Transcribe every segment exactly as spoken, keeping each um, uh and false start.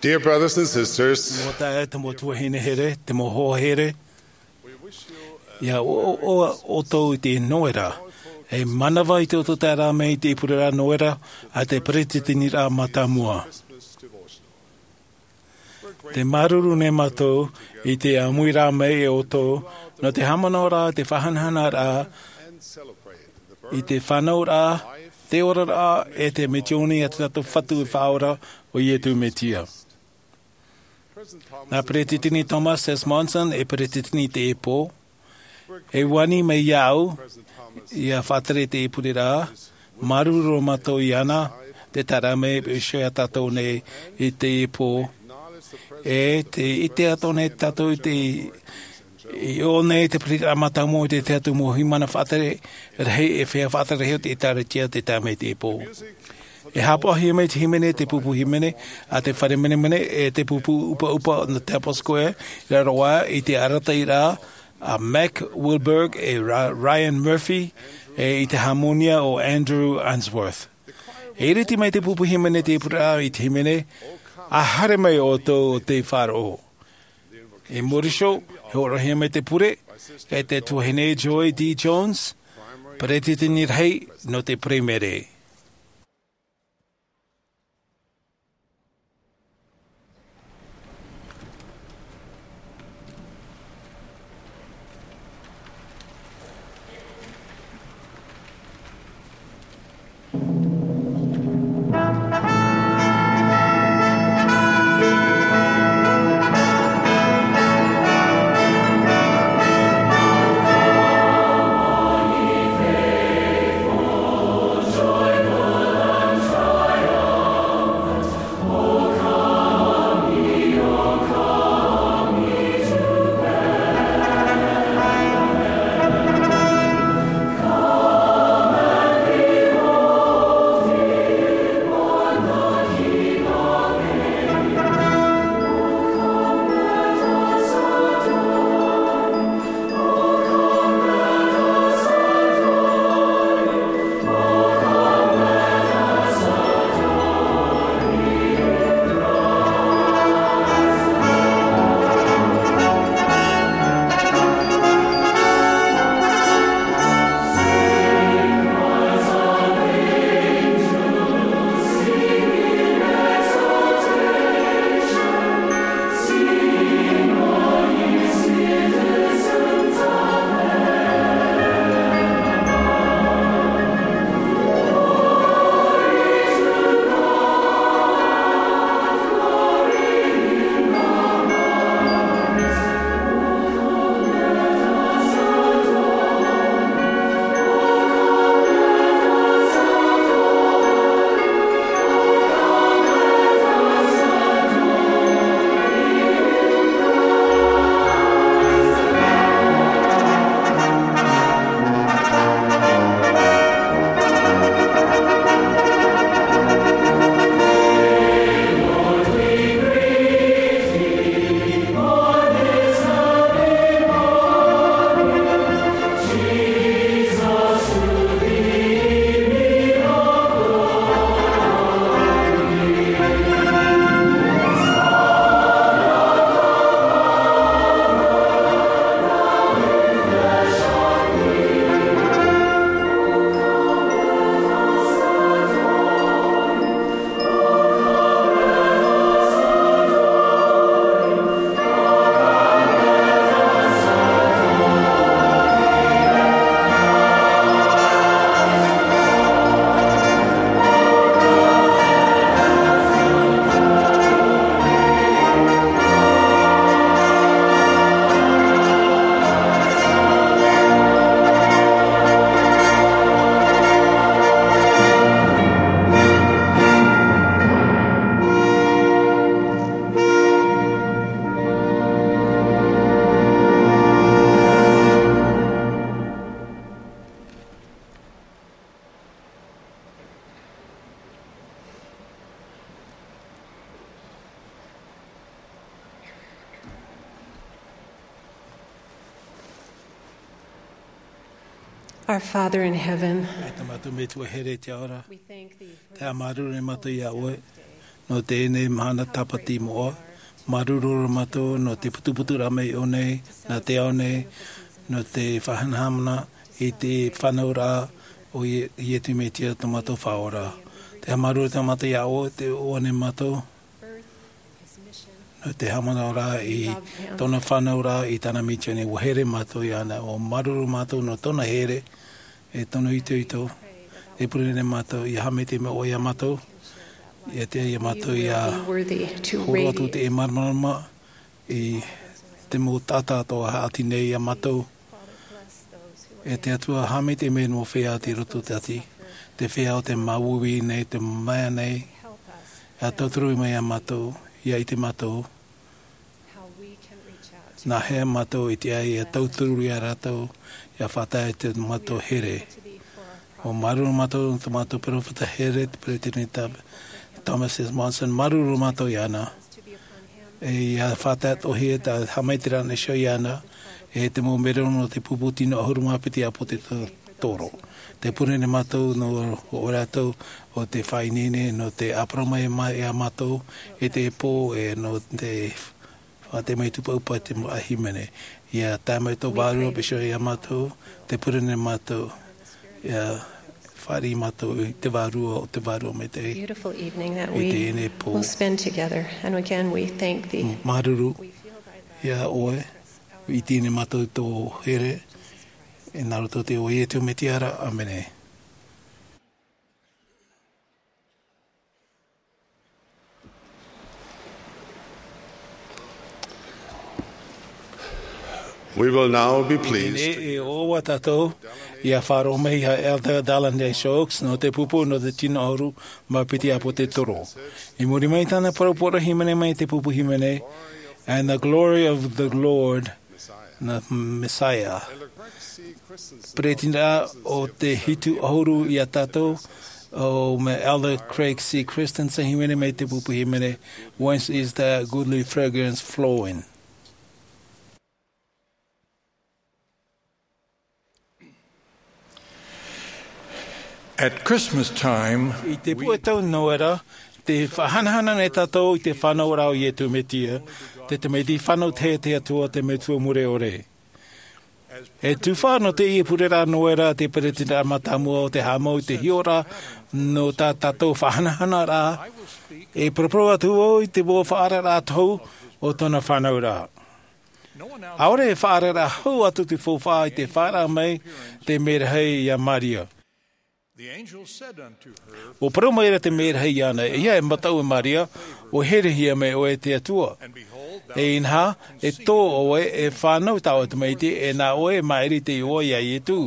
Dear brothers and sisters, Mau taeaʻe, te mau tuahine here, te mau hoa here, ʻia ʻoaʻoa ʻoutou i te Noera, e manava i te ʻoto taeraʻa mai i te ʻīpureraʻa Noera a te Peretiteniraʻa Mātāmua. Tē māuruuru nei mātou i te ʻāmuiraʻa mai e ʻoutou nō te haʻamanaʻoraʻa, te faʻahanahanaraʻa i te fānauraʻa, te oraraʻa, e te misiōni a tō tātou Fatu e Faʻaora, ʻo Iesu Mesia. Nā Peretiteni Thomas S. Monson e peretiteni i teie pō. E ani mai iāʻu ʻia faʻatere i te ʻīpureraʻa, māuruuru mātou iāna, te taeraʻa mai e ʻoaʻoa iā tātou nei i teie pō. E tē ʻite atoʻa nei tātou i te, i ʻō nei te Peretiteniraʻa Mātāmua i te tahi atu mau hīmene faʻatere rahi, e feiā faʻatere rahi o te ʻĒtārētia tē tae mai i teie pō. E haʻapaʻohia mai te hīmene, te pupu hīmene a te Fare Menemene, e te pupu ʻupaʻupa nō te Temple Square, i raro aʻe i te arataʻiraʻa a Mack Wilberg e Ra-, Ryan Murphy, e i te hāmōnia o Andrew Unsworth. E iriti mai te pupu hīmene i te ʻīpureraʻa i te hīmene, ʻA haere mai ʻoutou ʻo tei faʻaroʻo. I muri iho, e hōroʻahia mai te pure e te tuahine Joy D. Jones, peretiteni rahi nō te Paraimere. Our Father in heaven, E tā mātou Metua here i te ao ra, we thank thee for te māuruuru nei mātou iā ʻoe. Nō teie mahana tāpati moʻa, māuruuru mātou nō te putuputu rā mai o nei, nā te ao nei, nō te faʻahanahana i te fānauraʻa o Ie-, Iesu Mesia tō mātou Faʻaora. Te haʻamāuruuru tā mātou iā ʻoe, te ʻoaʻoa nei mātou, nō te haʻamanaʻo rā i tōna fānauraʻa, i tāna misiōni, ʻua here mātou iāna, ʻua māuruuru mātou nō tōna here, e tōna itoito, e pure nei mātou, ʻia haʻamaitaʻi mai ʻoe iā mātou, ʻia tiʻa iā mātou ʻia horo atu te māramarama i te mau taʻata atoʻa haʻati nei iā mātou. E te Atua, haʻamaitaʻi mai nō feiā i roto i te ʻati, te feiā o tē māuiui nei, tē mamae nei, ʻia tauturu mai iā mātou, ʻia ʻite mātou nā hea mātou i tiʻa ai ʻia tauturu iā rātou, ʻia faʻatae i tō mātou here. ʻUa māuruuru mātou nō tō mātou peropheta here, te Peresideni Tho-, Thomas S. Monson, māuruuru mātou iāna. E ʻia faʻatae atoʻahia tā haʻamaitaʻiraʻa nei iāna, e te mau merero nō te pupu tino ʻahuru mā piti ʻĀpōsetolo. Tē pure nei mātou nō ʻō rātou o te faʻaineine nō te ʻāparau mai mā-, iā mātou, e te pō, e nō te faʻaʻite mai tūpāpū i te mau hīmene. ʻIa tae mai tō Vārua Pīsope iā mātou, tē pure nei mātou, ʻia fāriʻi mātou i te Vārua, o te Vārua Maitaʻi. Beautiful evening that I we teie nei pō. Will spend together. And again, we thank thee. Māuruuru iā ʻoe, i teie nei mātou tō here, e nā roto i te iʻoa o Iesu Mesia ra, ʻāmene. We will now be pleased. Teie nei e ʻoaʻoa tātou, ʻia faʻaroʻo mai iā Elder Dallin H. Oaks, nō te pupu, nō te tino ʻahuru mā piti ʻĀpōsetolo. I muri mai i tāna parau poroʻi hīmene mai te pupu hīmene, And the Glory of the Lord, the Messiah. Peresideni o te hitu ʻahuru iā tātou, ʻo Elder Craig C. Christensen, hīmene mai te pupu hīmene, Whence is that goodly fragrance flowing? At Christmas time, i te puʻe tau Noera, tē faʻahanahana nei tātou i te fānauraʻa o Iesu Mesia, te tamaiti fānau tahi a te Atua, te Metua mure ʻore. E tufa nō teie pureraʻa Noera te Peresideni mātāmua o te haʻamau i te hiʻoraʻa nō tā tātou faʻahanahanaraʻa, e paraparau atu vau i te mau faʻaararaʻa tohu o tōna fānauraʻa. ʻAore e faʻaararaʻa hau atu te faufaʻa i te faʻaara mai te merahi iā Maria. The angel said unto her, ʻUa parau mai ra te merahi iāna, E ʻia mataʻu e Maria, ʻua herehia mai ʻoe e te Atua. And behold, thou E inaha, e tō ʻoe e fānau tāua tamaiti, e nā ʻoe e maʻiri te iʻoa iā Iesu.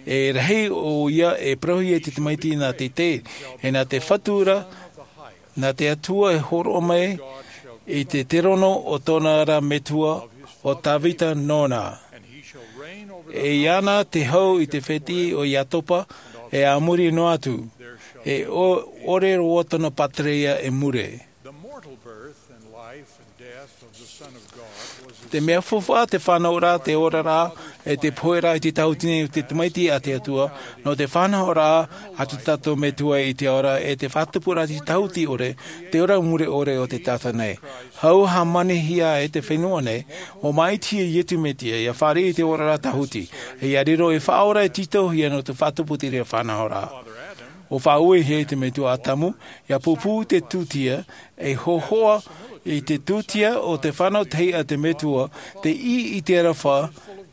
E rahi ʻoia e parauhia i te tamaiti nā te tē, e nā te Fatu ra, nā te Atua e hōroʻa mai i te terono o tōna ra Metua, ʻo Tavita nōna. E iāna te hau i te fētiʻi o Iakoba, e a muri noa atu. E ʻo-, ʻore roa tōna pātireia e mure. The mortal birth and life and death of the Son of God was a Te mea faufaʻa, te fānauraʻa, te oraraʻa, e te poheraʻa i te tahuti nei o te tamaiti a te Atua, nō te fānauraʻa a tō tātou Metua i te ora, e te faʻatupuraʻa i te tahuti ʻore, te ora mure ʻore o te taʻata nei. Hau hāmanihia e te fenua nei, ʻua māʻitihia Iesu Mesia, ʻia fāriʻi i te oraraʻa tahuti, e ʻia riro ei faʻaora e tītauhia nō te faʻatupu i te reira fānauraʻa. ʻUa faʻauehia e te Metua Atamu, ʻia pūpū i te tūtia, e hōhoʻa i te tūtia o te fānau tahi a te Metua, tei ʻī i te aroha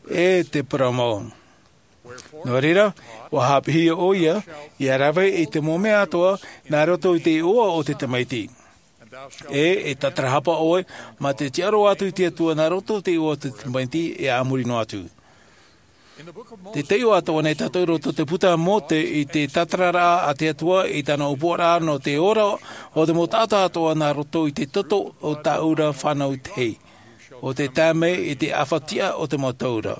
e te parau mau. Nō reira, ʻua haʻapiʻihia ʻoia, ʻia rave i te mau mea atoʻa, nā roto i te iʻoa o te tamaiti. E, e tātarahapa ʻoe, mā te tiʻaroa atu i te Atua nā roto i te iʻoa o te tamaiti, e a muri noa atu. Tē taiʻo atoʻa nei tātou i roto i te puta a Mōse i te tātararaʻa a te Atua i tāna ʻōpuaraʻa nō te ora o te mau taʻata atoʻa nā roto i te toto o tāʻu ra fānau tahi, ʻo tē tae mai i te ʻāfaʻi tiʻa o te mau taura.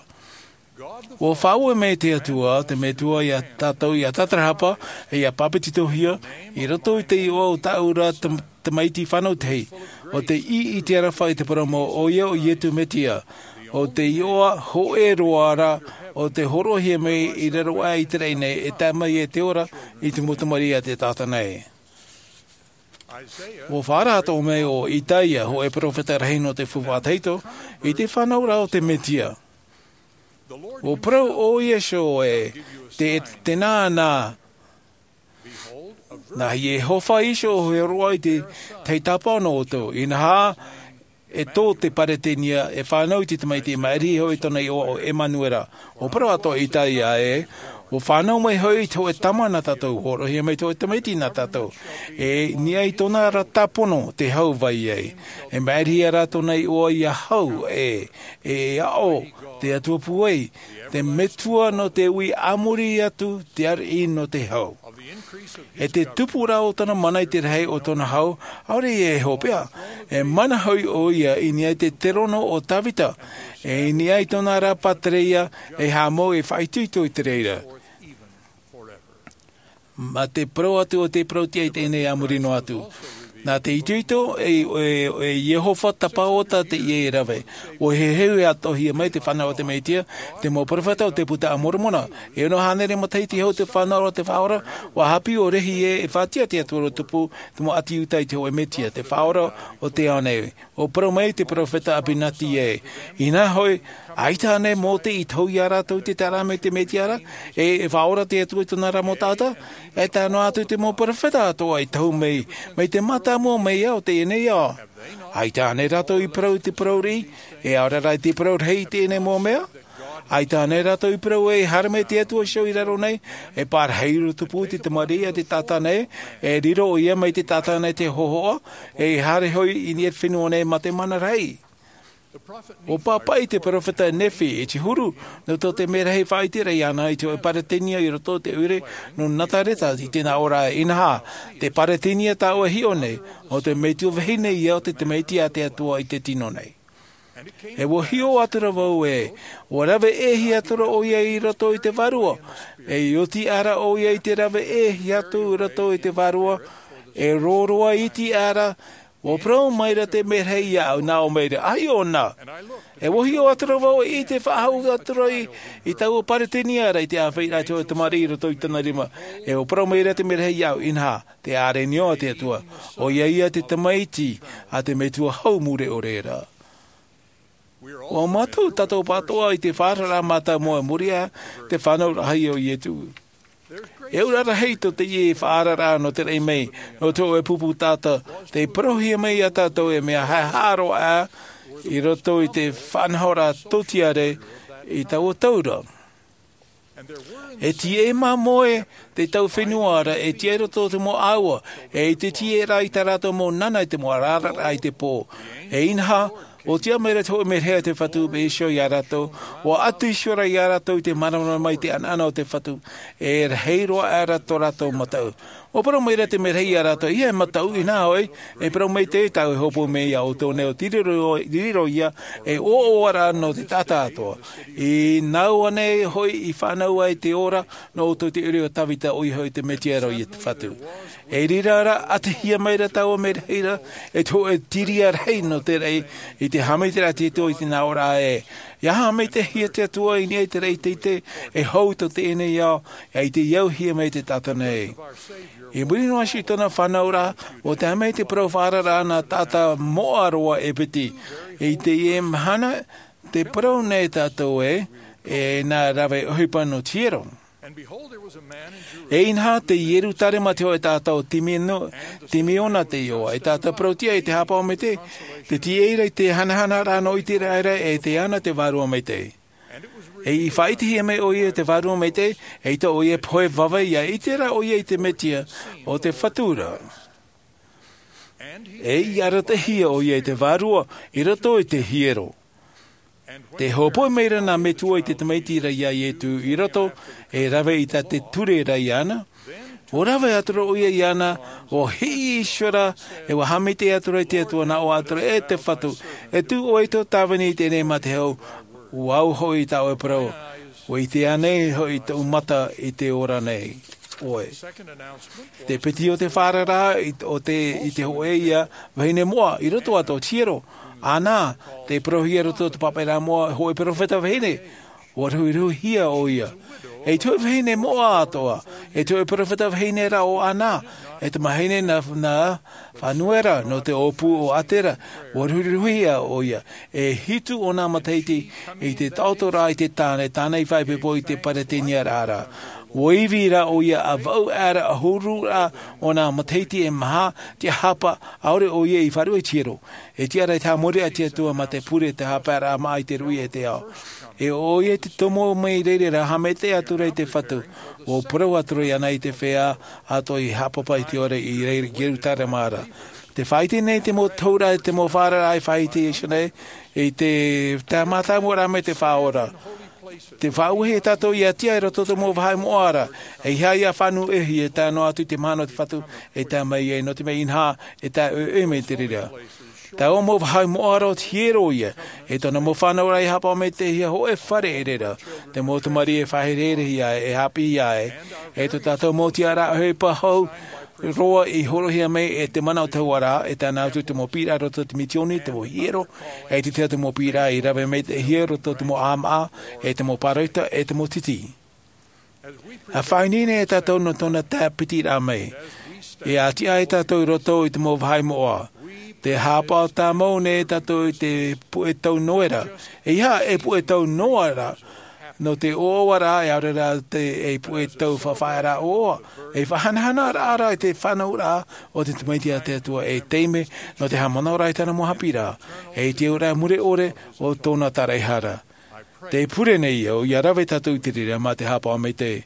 ʻUa faʻaue mai te Atua, te Metua iā tātou ʻia tātarahapa, e ʻia pāpetitohia, i roto i te iʻoa o tāʻu ra tam-, tamaiti fānau tahi, ʻo tei ʻī i te aroha i te parau mau ʻoia ʻo Iesu Mesia, ʻo te iʻoa hōʻē roa ra, ʻo tē hōroʻahia mai i raro aʻe i te raʻi nei, e tae mai e te ora i te mau tamariʻi a te taʻata nei. Ua faʻaara atoʻa mai ʻo Itaia, hōʻē peropheta rahi nō te faufaʻa tahito, i te fānauraʻa o te Mesia. Ua parau ʻo Iesū ē, te, te nānā, nā Iehova Iesū ʻoe roa i te tahi tāpaʻo nō ʻoutou, inaha, e tō te Peretania, e fānau i te tamaiti, e maʻiri hoʻi tōna iʻoa ʻo Emanuera. Ua parau atoʻa Itaia ē, ua fānau mai hoʻi te hōʻē tama nā tātou, hōroʻahia mai te hōʻē tamaiti nā tātou. E niʻa i tōna ra tāpono te hau vai ai. E maʻirihia rā tōna iʻoa ia hau, e, e aʻo, te Atua pūai, te Metua nō te ui a muri atu, te ariʻi nō te hau. E te tupu rā o tōna mana i te rahi o tōna hau, ʻaore ia e hopeʻa, e mana hoʻi ʻoia i niʻa i te terono o Tavita, e i niʻa i tōna ra pātireia, e haʻamau e faʻaitoito i te reira. Mā te parau atu o te parauʻtiʻa i teie nei a muri noa atu. Nā te itoito, e, e, e Iehova tapaota teie e rave. Ua heheu e atoʻahia mai te fānau o te Mesia, te mau peropheta o te Puta a Moromona. E ono hānere matahiti hou te fānau o te Faʻaora, ua haʻapiʻi ʻo Rehi ē, e faʻatiʻa te Atua Rō Tupu, te mau ʻāti Iuta i te hōʻē Mesia, te Faʻaora o te ao nei. Ua parau mai te peropheta Apinati ē, inaha hoʻi, ʻaita ānei Mōte i tohu ia rātou i te taeraʻa mai te Mesia ra, e, e Faʻaora te Atua i tōna ra mau taʻata, e tae noa atu te mau peropheta atoʻa i tohu mai, mai te mātāmua mai ia o teie nei ao. ʻAita ānei rātou i parau i te parau riʻi, e ʻaore rā i te parau rahi i teie nei mau mea? ʻAita ānei rātou i parau ē, e haere mai te Atua iho i raro nei, e parahi Rō Tupu i te tamariʻi a te taʻata nei, e riro ʻoia mai te taʻata nei te hōhoʻa, e haere hoʻi i niʻa i te fenua nei mā te mana rahi. Ua pāpaʻi te peropheta Nephi i te huru, nō tō te merahi faʻaʻiteraʻa iāna i te hōʻē Peretania i roto i te ʻoire nō Nazareta i te nā ʻō ra, inaha, te Peretania tāʻu e hiʻo nei, ʻo te metua vahine ia o te tamaiti a te Atua i te tino nei. E ua hiʻo atu ra vau ē, ua rave ʻē hia atu ra ʻoia i roto i te vārua, e i oti aʻe ra ʻoia i te rave ʻē hia atu i roto i te vārua, e roroa iti aʻe ra, ua parau mai ra te merahi iāʻu, nā ʻō mai ra, ʻaita ʻōna. E ua hiʻo atu ra vau e ʻite faʻahou atu ra i, i taua Peretania ra i te āfaʻiraʻa i te hōʻē tamariʻi i roto i tōna rima. E ua parau mai ra te merahi iāʻu, inaha, te ʻārenio a te Atua. ʻOia ia te tamaiti a te metua hau mure ʻore ra. ʻUa mātau tātou pāʻatoʻa i te faʻaararaʻa mātāmua i muri aʻe, te fānauraʻahia o Iesu. E auraʻa rahi tō teie faʻaararaʻa nō te raʻi mai, nō te hōʻē pupu taʻata, tei parauhia mai ia tātou e mea haʻehaʻa roa aʻe, i roto i te faʻanahoraʻa tōtiare i taua tau ra. E tīaʻi māmoe te tau fenua ra, e tīaʻi roto te mau ʻāua, e i te tīaʻi ra i tā rātou mau nana i te mau arararaʻa i te pō. E inaha, ʻua tiʻa mai ra te hōʻē merahi a te Fatu, mai iho ia rātou, ʻua ʻatu iho ra ia rātou i te māramarama i te ʻanaʻana o te Fatu, e rahi roa aʻe ra tō rātou mataʻu. ʻUa parau mai ra te merahi ia rātou, ʻeiaha e mataʻu, inaha hoʻi, e parau maitaʻi tāʻu e hōpoi mai ia ʻoutou nei ʻo te riro, riro ia, e ʻoaʻoa ra nō te taʻata atoʻa. I nāʻu ānei hoʻi i fānaʻo ai te ora, nō ʻoutou te ʻoire o Tavita, ʻoia hoʻi te Mesia ra ʻo Iesu Fatu. I reira ra, ʻatihia mai ra taua merahi ra, e te hōʻē tiria rahi nō te raʻi, i te haʻamaitaʻiraʻa a te Atua i te nā ʻō ra ē. ʻIa haʻamaitaʻihia te Atua i niʻa i te raʻi teitei, e hou tō teie nei ao, e i te auhia mai te taʻata nei. I muri noa iho i tōna fānauraʻa, ʻua tae mai te parau faʻaararaʻa nā taʻata moʻa roa e piti. I teie mahana, tē parau nei tātou ē, e nā rave ʻohipa nō te hiero. E inaha, tei Ierutarema te hōʻē taʻata ʻo Timino-, Timiona te iʻoa, e taʻata parauʻtiʻa i te haʻapaʻo maitaʻi, tē tīaʻi ra i te hanahanaraʻa nō ʻĪteraʻera, e ʻite ana te Vārua Maitaʻi. E i faʻaʻitehia mai ʻoia i te Vārua Maitaʻi, eʻita ʻoia e pohe vave, ʻia ʻite ra ʻoia i te Mesia, ʻo te Fatu ra. E i arataʻihia ʻoia i te Vārua, i roto i te hiero. Tē hōpoi mai ra nā metua i te tamaiti ra ia Iesu i roto, e rave i tā te ture ra iāna. ʻUa rave atu ra ʻoia iāna, ʻua hiʻi iho ra, e ʻua haʻamaitaʻi atu ra i te Atua, nā ʻō atu ra, e te Fatu, e tū ʻoe i tō tāvini i teie nei mā te hau, ʻua au hoʻi i tā ʻoe parau, ʻua ʻite ānei hoʻi tōʻu mata i te ora nei ʻoe. Te piti o te faʻaararaʻa i, ʻo te, i te hōʻē ia vahine moʻa, i roto atoʻa i te hiero. Ana, tē parauhia i roto i te pāpaʻiraʻa moʻa, hōʻē peropheta vahine, ʻua ruhiruhihia ʻoia. E te hōʻē vahine moʻa atoʻa, e te hōʻē peropheta vahine ra ʻo Ana, E tamahine nā, nā Fanuera nō te ʻōpū o Atera, ua ruhiruhia ʻoia. E hitu ōna matahiti i te taʻoto rā i te tāne, tāne i fai pepo i te Peretania rā. Ua ivi rā ʻoia ʻa vau ʻāra ʻahuru rā ōna matahiti e maha, te hapa, ʻaore ʻoia i faʻaruʻe i te hiero. E tiʻa rā i te haʻamori a te Atua mā te pure te hapaeraʻa maʻa i te ruʻi e te ao. E ʻoia te tomo mai reira rā haʻamaitaʻi atu rā i te Fatu. Ua parau atu rā iāna i te feiā atoʻa i haʻapāpā i te ora i reira i Ierutarema ra. Te faʻaʻite nei te mau taura, te mau faʻaararaʻa i faʻaʻite Iesu nei, i te tāmata mua rā mai te Faʻaora. Te faʻauehi e tātou ia tiʻa i roto te mau vāhi moʻa ra, e ʻeiaha ia fānau ʻē, e tae noa atu i te mahana o te Fatu, e tae mai ai nō te mea inaha, e tae ʻoe mai te reira. Taua mau vāhi moʻa ra o te hiero ia, e tōna mau fānau rā i haʻapaʻo mai te hia hōʻē fare e reira, te mau tamariʻi e faʻahereherehia, e haʻapiʻihia ai, e tō tātou mau tiʻaraʻa ʻohipa hau, roa i hōroʻahia mai e te mana o te Atua ra, e tae noa atu te mau piʻiraʻa roto te mitioni, te mau hiero, e te tahi atu mau piʻiraʻa i rave mai te hiero roto te mau ʻāmaʻa, e te mau pāroita, e te mau titi. ʻA faʻaineine e tātou nō tōna tāpitiraʻa mai. E ʻātiʻa e tātou i roto i te mau vāhi moʻa. Te haʻapaʻo tāmau nei e tātou i te puʻe tau Noera. ʻEiaha e puʻe tau Noera, nō te ʻoaʻoa rā, e ʻaore rā te, e puʻe tau faʻafaʻaearaʻa ʻoaʻoa. E faʻahanahana rā rā i te fānauraʻa o te tamaiti a te Atua e taime, nō te haʻamanaʻo rā i tāna mau haʻapiʻiraʻa. E te auraʻa mure ʻore o tōna taraehara. Te pure nei au, ia rave tātou i te reira mā te haʻapaʻo maitaʻi.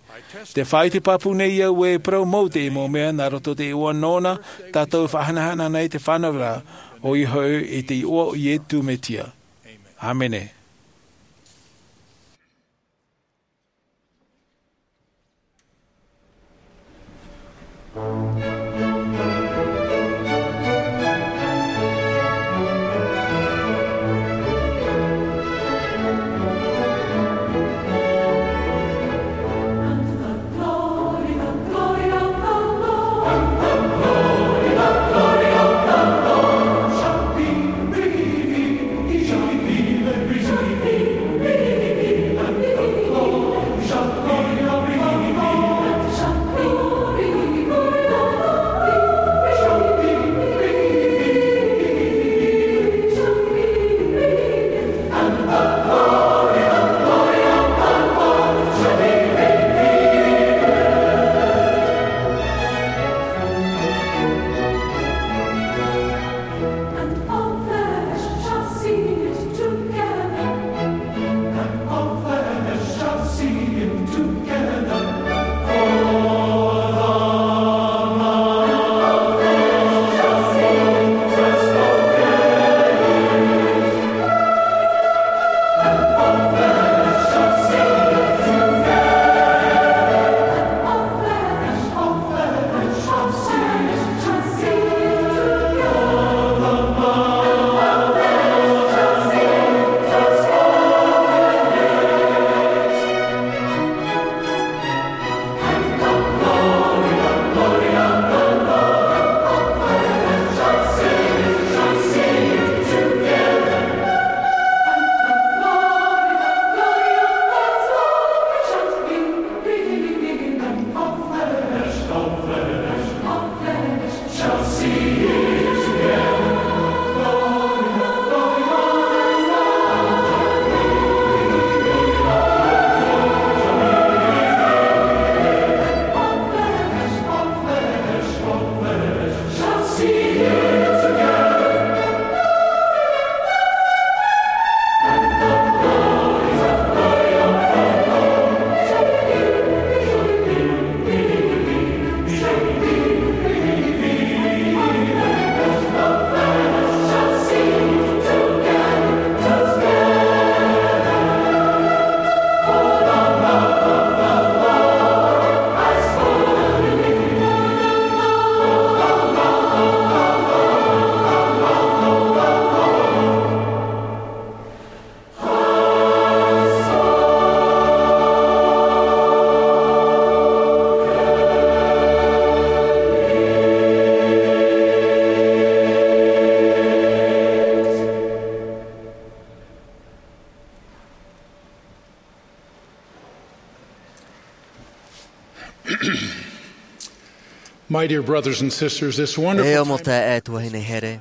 Te faʻaʻite pāpū nei au e parau mau te mau mea nā roto te iʻoa nōna, tātou e faʻahanahana nei te fānauraʻa, ʻoia hoʻi i te iʻoa o Iesu Mesia. ʻĀmene. And all flesh shall see it together. And all flesh shall see it together. For the Lord shall see it. My dear brothers and sisters, this wonderful E o mo te e tuahine here.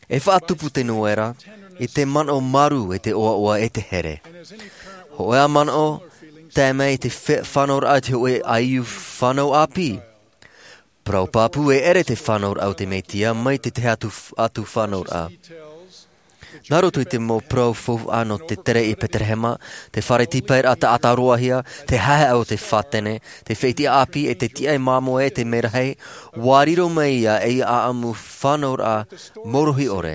E faʻatupu te noera i te manaʻo marū e te ʻoaʻoa e te here. Hoʻi a manaʻo tae mai i te fe- fānauraʻa i te hoʻi aiu fānau ʻāpī. Parau pāpū e ʻere te fānauraʻa o te metia mai te tahi atu, atu fānauraʻa. Nā roto i te mau parau faufaʻa nō te tere i Peterehema, te fare tīpaeraʻa taʻata roahia, te haehaʻa o te fātene, te fētiʻa ʻāpī e te tiʻa e māmoe e te merahi, ua riro mai ia ei ʻaʻamu fānauraʻa mōrohi ʻore.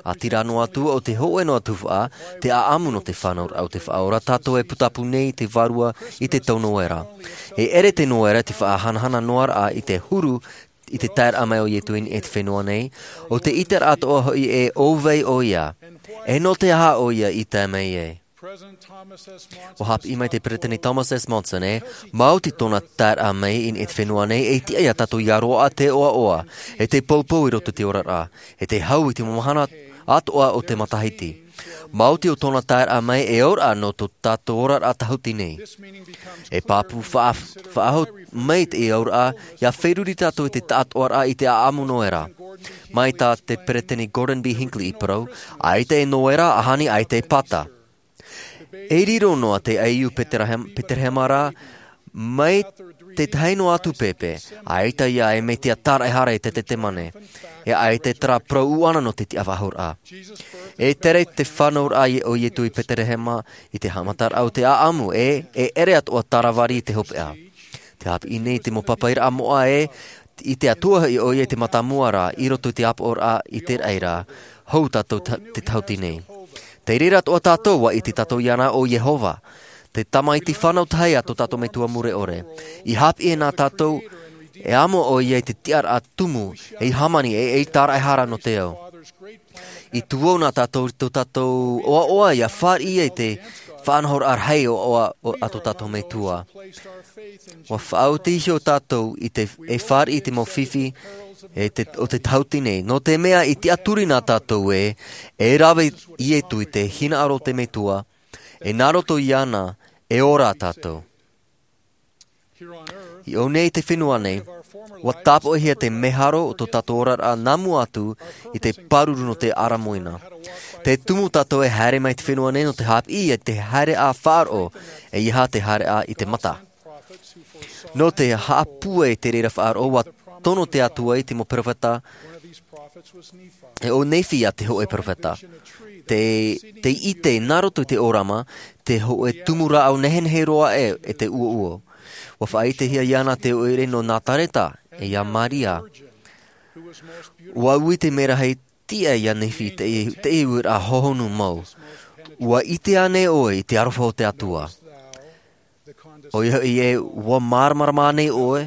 ʻĀtīrā noa atu o te hoʻe noa tuhaʻa, te ʻaʻamu nō te fānauraʻa o te faʻaora tātou e putapū nei te vārua i te tau noera. E ʻere te noera te faʻahanahana noaraʻa i te huru i te taeraʻa mai o Ietu i niʻa i te fenua nei, o te ʻiteraʻa atoʻa hoʻi e ʻōvai ʻo ia, e nō te aha ʻo ia i tae mai ai. Ua haʻapiʻi mai te peresideni Thomas S. Monson e, maoti tōna taeraʻa mai i niʻa i te fenua nei e tiʻa ia tātou ia roaʻa te ʻoaʻoa, e te poupou i roto i te oraraʻa, e te hau i te mau mahana atoʻa o te matahiti. Maoti o tōna taeraʻa mai e ora nō tō tātou oraraʻa tahuti nei. E pāpū faʻa- faʻahou mai te auraʻa, ia feruri tātou i te taʻatoʻaraʻa i te ʻaʻamu noera. Mai tā te peresideni Gordon B. Hinckley i parau, ʻaita e noera, ʻaʻamu ʻaita e pata. E riro noa te aiu Peterehem- Peterehema ra, mai te tahi noa atu pēpē, ʻaita ia e metia tāraʻehara i te Tetemane, e ʻaita e terā parau ʻuʻana nō te tiʻa faʻahouraʻa. E tere te fānauraʻa o Ietu i Peterehema i te haʻamataraʻa o te ʻaʻamu, e, e ʻere atoʻa tāravari i te hopeʻa. Te haʻapiʻi nei te mau papairaʻa moʻa e, i te Atua hoʻi ʻo ia i te mātāmua ra, i roto i te ʻāpoʻoraʻa i te raʻi ra, hou tātou ta- te tahuti nei. Tei reira atoʻa tātou, ua ʻite tātou iāna ʻo Iehova, te Tamaiti fānau tahi a tō tātou Metua mure ʻore. I haʻapiʻi nā tātou, e amo ʻo ia i te tiʻaraʻa tumu, ei hāmani, e, ei tāraʻehara nō te ao. I tuō nā tātou i tō tātou ʻoaʻoa ia fāriʻi ai te faʻanahoraʻa rahi ʻoaʻoa o- a tō tātou Metua. Ua faʻaoti iho tātou i te, e fāriʻi i te mau fifi, e te, o te tahuti nei. Nō te mea i tiʻaturi nā tātou e, e rave Ietu i te hinaʻaro o te Metua, e nā roto iāna, e ora tātou. I ʻō nei te fenua nei, ua tāpoʻihia te meharo o tō tātou oraraʻa nā mua atu i te pāruru nō te ʻaramoina. Te tumu tātou e haere mai te fenua nei nō te haʻapiʻi i te haereʻa faʻaroʻo, e ʻeiaha te haereʻa i te mata. Nō te haʻapūai i te reira faʻaroʻo, ua tono te Atua i te mau peropheta, e ʻo Nephi ia te hōʻē peropheta. Te, te ʻite nā roto i te ʻōrama, te hōʻē tumu rāʻau nehenehe roa e, e te uouo. Ua faʻaʻitehia iāna te ʻoire nō Nazareta, e ia Maria. Ua ui te merahi tiʻa ia Nephi te, te uiraʻa hohonu mau. Ua ʻite ānei ʻoe i te aroha o te Atua? ʻOia hoʻi e, ua māramarama ānei ʻoe?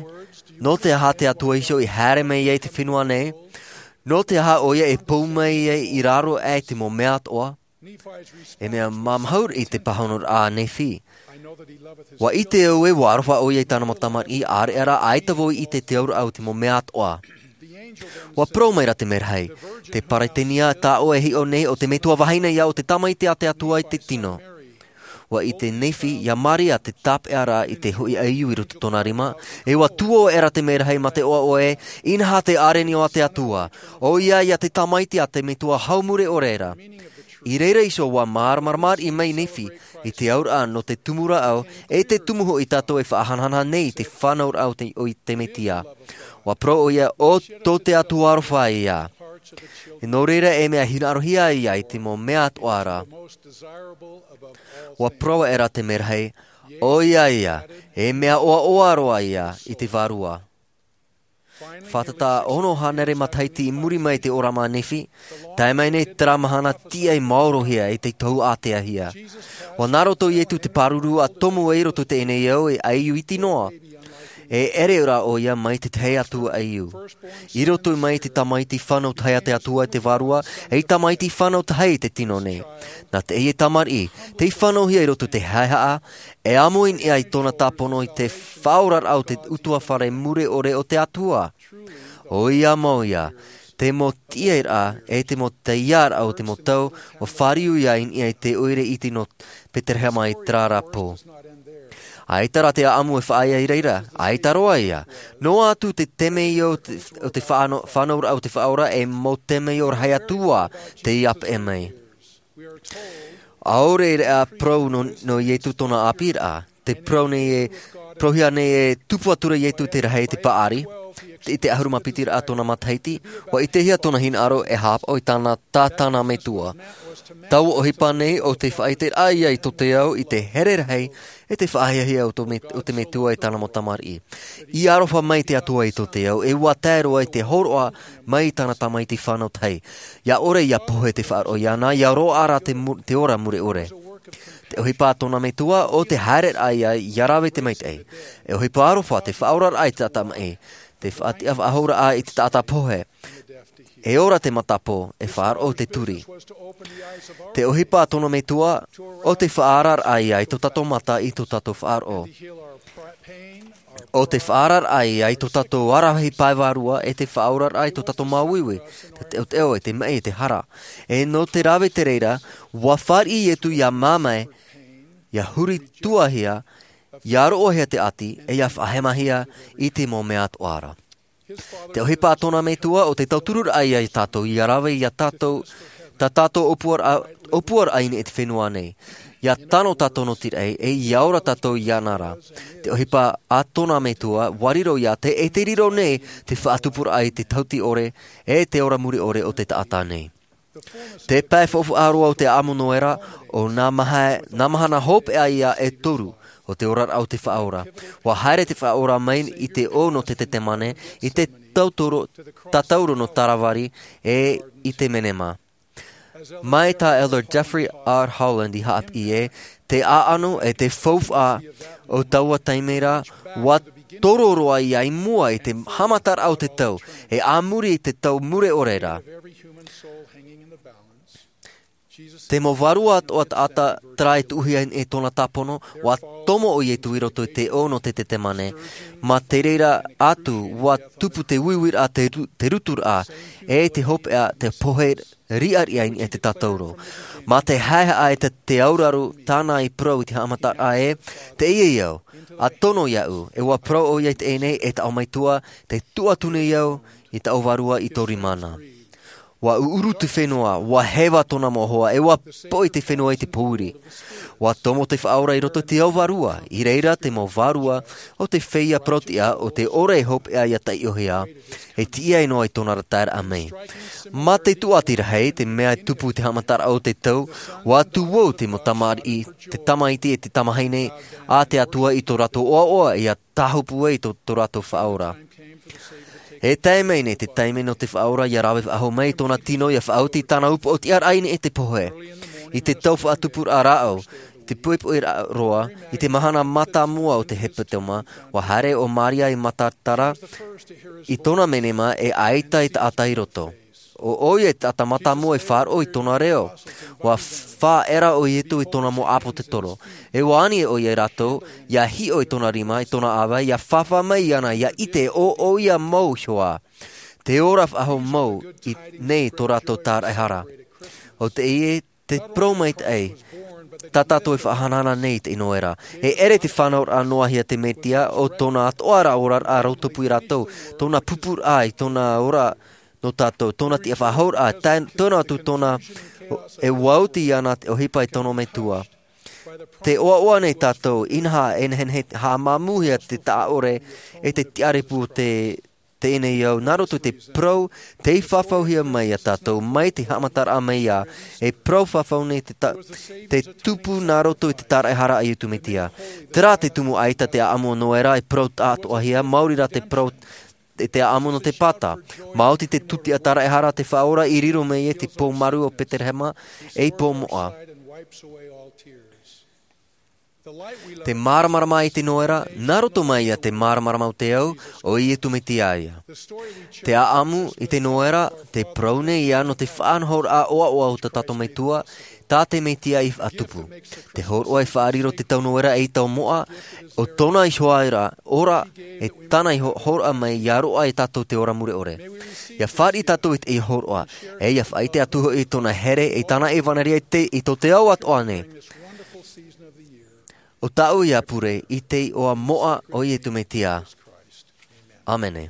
Nō te aha te Atua iho i haere mai ai te fenua nei? Nō te aha ʻoia e pou mai ai i raro aʻe te mau mea atoʻa? E mea māmāhuru i te pāhonoraʻa a Nephi. Ua ʻite au e, ua aroha ʻoia i tāna mau tamariʻi, ʻareʻa rā, ʻaita vau i ʻite te auraʻa o te mau mea atoʻa. Ua parau mai ra te merahi, te peresideni tā ʻoe e hiʻo nei, ʻo te metua vahine ia, ʻo te tamaiti a te Atua i te tino. Ua ʻite Nephi ia Maria te tāpeʻa ra i te hoʻi aiu i roto tōna rima, e ua tuō aʻera te merahi mā te ʻoaʻoa e, inaha te ʻārenio a te Atua, ʻoia ia te tamaiti a te Metua hau mure ʻore ra. I reira iho ua māramarama mai Nephi i te auraʻa nō te tumu rāʻau, e te tumu hoʻi tātou e faʻahanahana nei i te fānauraʻa o te, o te Metia. Ua parau ʻoia, ʻo tō te Atua aroha ia. E nō reira e mea hinaʻarohia ia i te mau mea atoʻa ra. Ua parau aʻera te merahi, ʻoia ia, e mea ʻoaʻoa roa ia i te vārua. Fātata ono hānere matahiti i muri mai i te ʻōrama a Nephi, tae mai nei terā mahana tiʻa i maorohia e te tohu āteahia. Ua nā roto Ietu te pāruru a tomo ai roto teie nei ao e aiu iti noa. E ʻere rā ʻoia mai te tahi atu aiu. I roto mai te tamaiti fānau tahi a te Atua i te vārua, ei tamaiti fānau tahi i te tino nei. Nā teie tamariʻi, tei fānauhia i roto te haehaʻa, e amo i niʻa i tōna tāpono i te faʻaoraraʻa o te ʻutuāfare mure ʻore o te Atua. ʻOia mau ia, te mau tiʻairaʻa, e te mau taiaraʻa o te mau tau, ua fāriu ia i niʻa i te ʻoire iti nō Peterehema i terā ra pō. ʻAita rā te ʻaʻamu e faʻaea i reira, ʻaita roa ia. Noa atu te temeio o te, o te fāno-, fānauraʻa o te Faʻaora, e mau temeio rahi atu ā tei ʻāpeʻe mai. ʻAore rā parau nō, nō Ietu tōna ʻāpīraʻa, te parau nei e, parauhia nei e tupu atu ra Ietu te rahi te paʻari, te, te ʻahuru mā piti rā tōna matahiti, ʻua ʻitehia tōna hinaʻaro e haʻapaʻo i tāna, tā tāna metua. Taua ʻohipa nei ʻo te faʻaʻiteraʻa ia i tō te ao i te here rahi, e te faʻahiahia o tō me-, o te metua e tāna mau tamariʻi. I aroha mai te Atua i tō te ao, e ʻua tae roa i te hōroʻa mai i tāna tamaiti fānau tahi. ʻIa ʻore ʻia pohe te faʻaroʻo iāna, ʻia roaʻa ra te mu-, te ora mure ʻore. Te ʻohipa a tōna metua, ʻo te haereraʻa ia, ʻia rave te maitaʻi. E ʻohipa aroha te faʻaoraraʻa i te taʻata maʻi. Te faʻatiʻa faʻahouraʻa i te taʻata pohe. E ora te matapō, e faʻaroʻo te turi. Te ʻohipa a tōna metua, ʻo te faʻaararaʻa ia i tō tātou mata i tō tātou faʻaroʻo. ʻO te faʻaararaʻa ia i tō tātou aravihi pae vārua e te faʻaoraraʻa i tō tātou māuiui, te teʻoteʻo e te maʻi e te hara. E nō te rave te reira, ʻua fāriʻi Ietu ʻia māmae, ʻia huri tuahia, ʻia roʻohia te ʻati, e ʻia faʻahemahia i te mau mea atoʻa ra. Te ʻohipa a tōna metua ʻo te tautururaʻa ia i tātou, ʻia rave ia tātou, tā tātou ʻōpuaraʻa, ʻōpuaraʻa i niʻa i te fenua nei. ʻIa tano tātou nō te raʻi, e ʻia ora tātou iāna ra. Te ʻohipa a tōna metua, ʻua riro iā te, e te riro nei te faʻatupuraʻa i te tauti ʻore, e te ora mure ʻore o te taʻata nei. Te pae faufaʻa roa o te ʻaʻamu Noera, ʻo nā maha-, nā mahana hopeʻa ia e toru, ʻo te oraraʻa o te Faʻaora. ʻUa haere te Faʻaora mai i te ʻō nō te Tetemane, i te tautoro-, tatauro nō Tāravari, e i te Menema. Mai tā Elder Jeffrey R. Holland i haʻapiʻi ē, te ʻāʻano e te faufaʻa o taua taime ra, ʻua toro roa ia i mua i te haʻamataraʻa o te tau, e a muri i te tau mure ʻore ra. Te mau vārua atoʻa taʻata terā e tuʻuhia e tōna tāpono, ʻua tomo ʻo Ietu i roto i te ʻō nō te Tetemane. Mā te reira atu, ʻua tupu te uiuiraʻa, te ru-, te ruturaʻa, e te hopeʻa, te pohe riʻariʻa i niʻa i te tatauro. Mā te haehaʻa e te, te auraro tāna i parau i te haʻamataraʻa ē, teie au, ʻa tono iāʻu, e ʻua parau ʻoia i teie nei, e taʻo maitaʻi, tē tuʻu atu nei au i taʻu vārua i tō rima na. ʻUa ʻuʻuru te fenua, ʻua heva tōna mau hoa, e ʻua poʻi te fenua i te pōuri. ʻUa tomo te Faʻaora i roto i te ao vārua, i reira te mau vārua o te feiā parauʻtiʻa o te ora e hopeʻa ʻia taiʻohia, e tiʻa noa i tōna ra taeraʻa mai. Mā te tūʻati rahi, te mea e tupu i te haʻamataraʻa o te tau, ʻua tuʻu te mau tamariʻi, te tamaiti e te tamahine, a te Atua i tō rātou ʻoaʻoa ʻia tāhopu ai tō, tō rātou Faʻaora. E tae mai nei te taime nō te Faʻaora ʻia rave faʻahou mai i tōna tino ʻia faʻaoti i tāna upoʻo tiʻaraʻa i niʻa i te pohe. I te tau faʻatupuraʻa rāʻau, te poʻipoʻi ra-, roa, i te mahana mātāmua o te hepetoma, ʻua haere ʻo Maria i Magdala, i tōna menema e ʻaita e taʻata i roto. ʻO ʻoia e taʻata mātāmua e faʻaroʻo i tōna reo. ʻUa faʻaʻera ʻo Ietu i tōna mau ʻāpōtetoro. E ʻua ani ʻoia ia rātou, ʻia hiʻo i tōna rima, i tōna ʻāvae, ʻia fāfā mai iāna, ʻia ʻite ʻo ʻoia mau iho ā. Te ora faʻahou mau i, nei tō rātou tāraʻehara. ʻO teie te parau maitaʻi, tā tātou e faʻahanahana nei i te Noera. E ʻere te fānauraʻa noa hia te Metia, ʻo tōna atoʻa ra oraraʻa rautupu ia rātou, tōna pupuraʻa i tōna ora nō tātou, tōna tiʻafaʻahouraʻa, tā-, tōna atu tōna e ʻua oti iāna te ʻohipa i tōna Metua. Tē ʻoaʻoa nei tātou, inaha e nehenehe haʻamāmūhia te taʻa ʻore, e te tiʻarepu o te, teie nei au, nā roto i te parau, tei fafauhia mai ia tātou, mai te haʻamataraʻa mai ā, e parau fafau nei te ta-, te tupu nā roto i te tāraʻehara a Ietu Metia. Terā te tumu ʻaita te ʻaʻamu o Noera, e parau taʻatoʻahia, maori rā te parau te, te ʻaʻamu nō te pata. Maoti te tūtiʻa tāraʻehara te Faʻaora i riro mai e te pou maru o Peterehema, ei pou moʻa. Te māramarama i te Noera, nā roto mai ia te māramarama o te ao, ʻo Ietu Metia ia. Te ʻaʻamu i te Noera, te parau nei ia nō te faʻanahoraʻa ʻoaʻoa o tā tātou Metua, tā te Metia i faʻatupu. Te hōroʻa e faʻariro te tau Noera ei tau moʻa, ʻo tōna iho ā ra, ora, e tāna i ho-, hōroʻa mai ʻia roaʻa ia tātou te ora mure ʻore. ʻIa fāriʻi tātou i te hōroʻa, e ʻia faʻaʻite atu hoʻi i tōna here, i tāna ʻevaneria i te, i tō te ao atoʻa nei. ʻo tāʻu ia pure i te iʻoa moʻa o Iesu Mesia. ʻĀmene.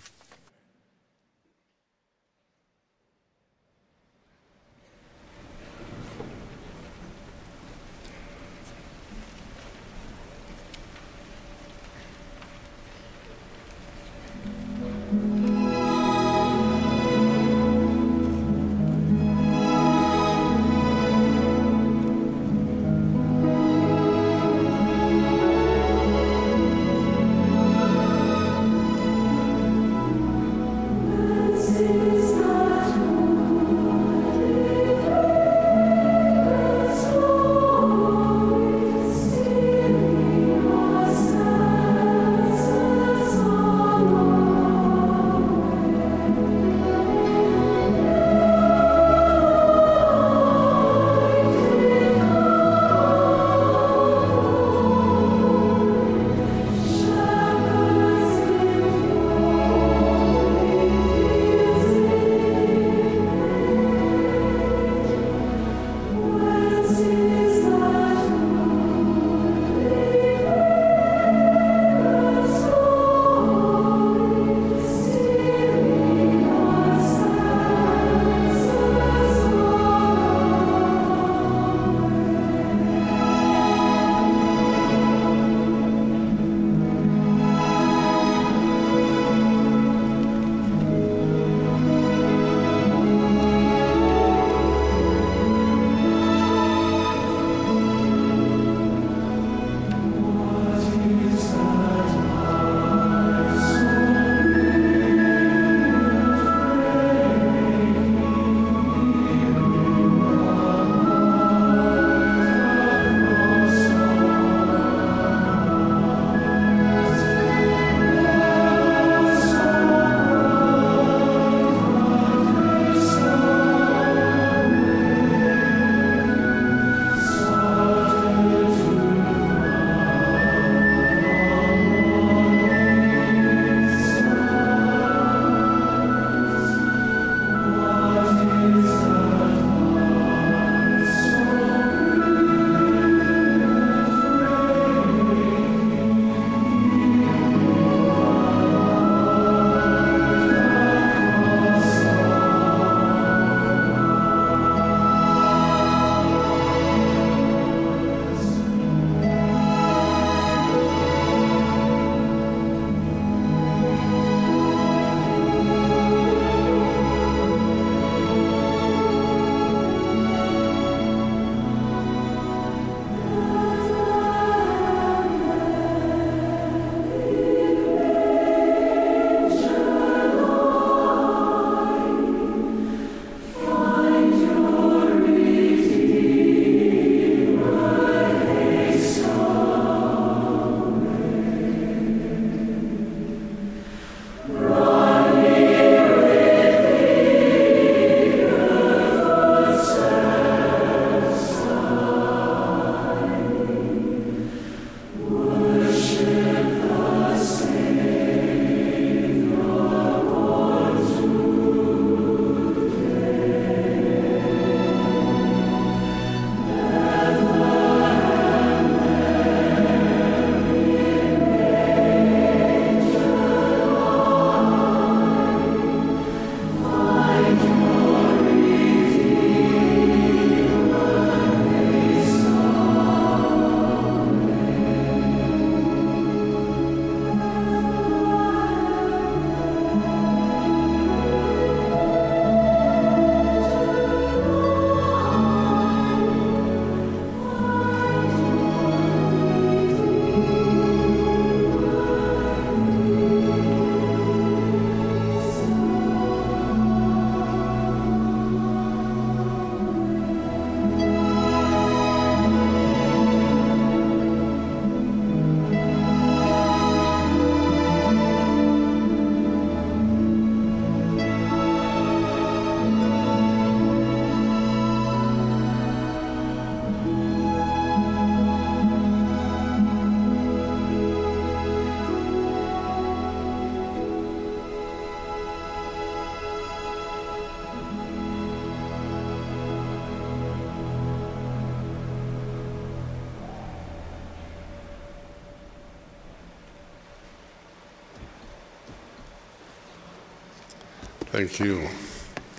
Thank you.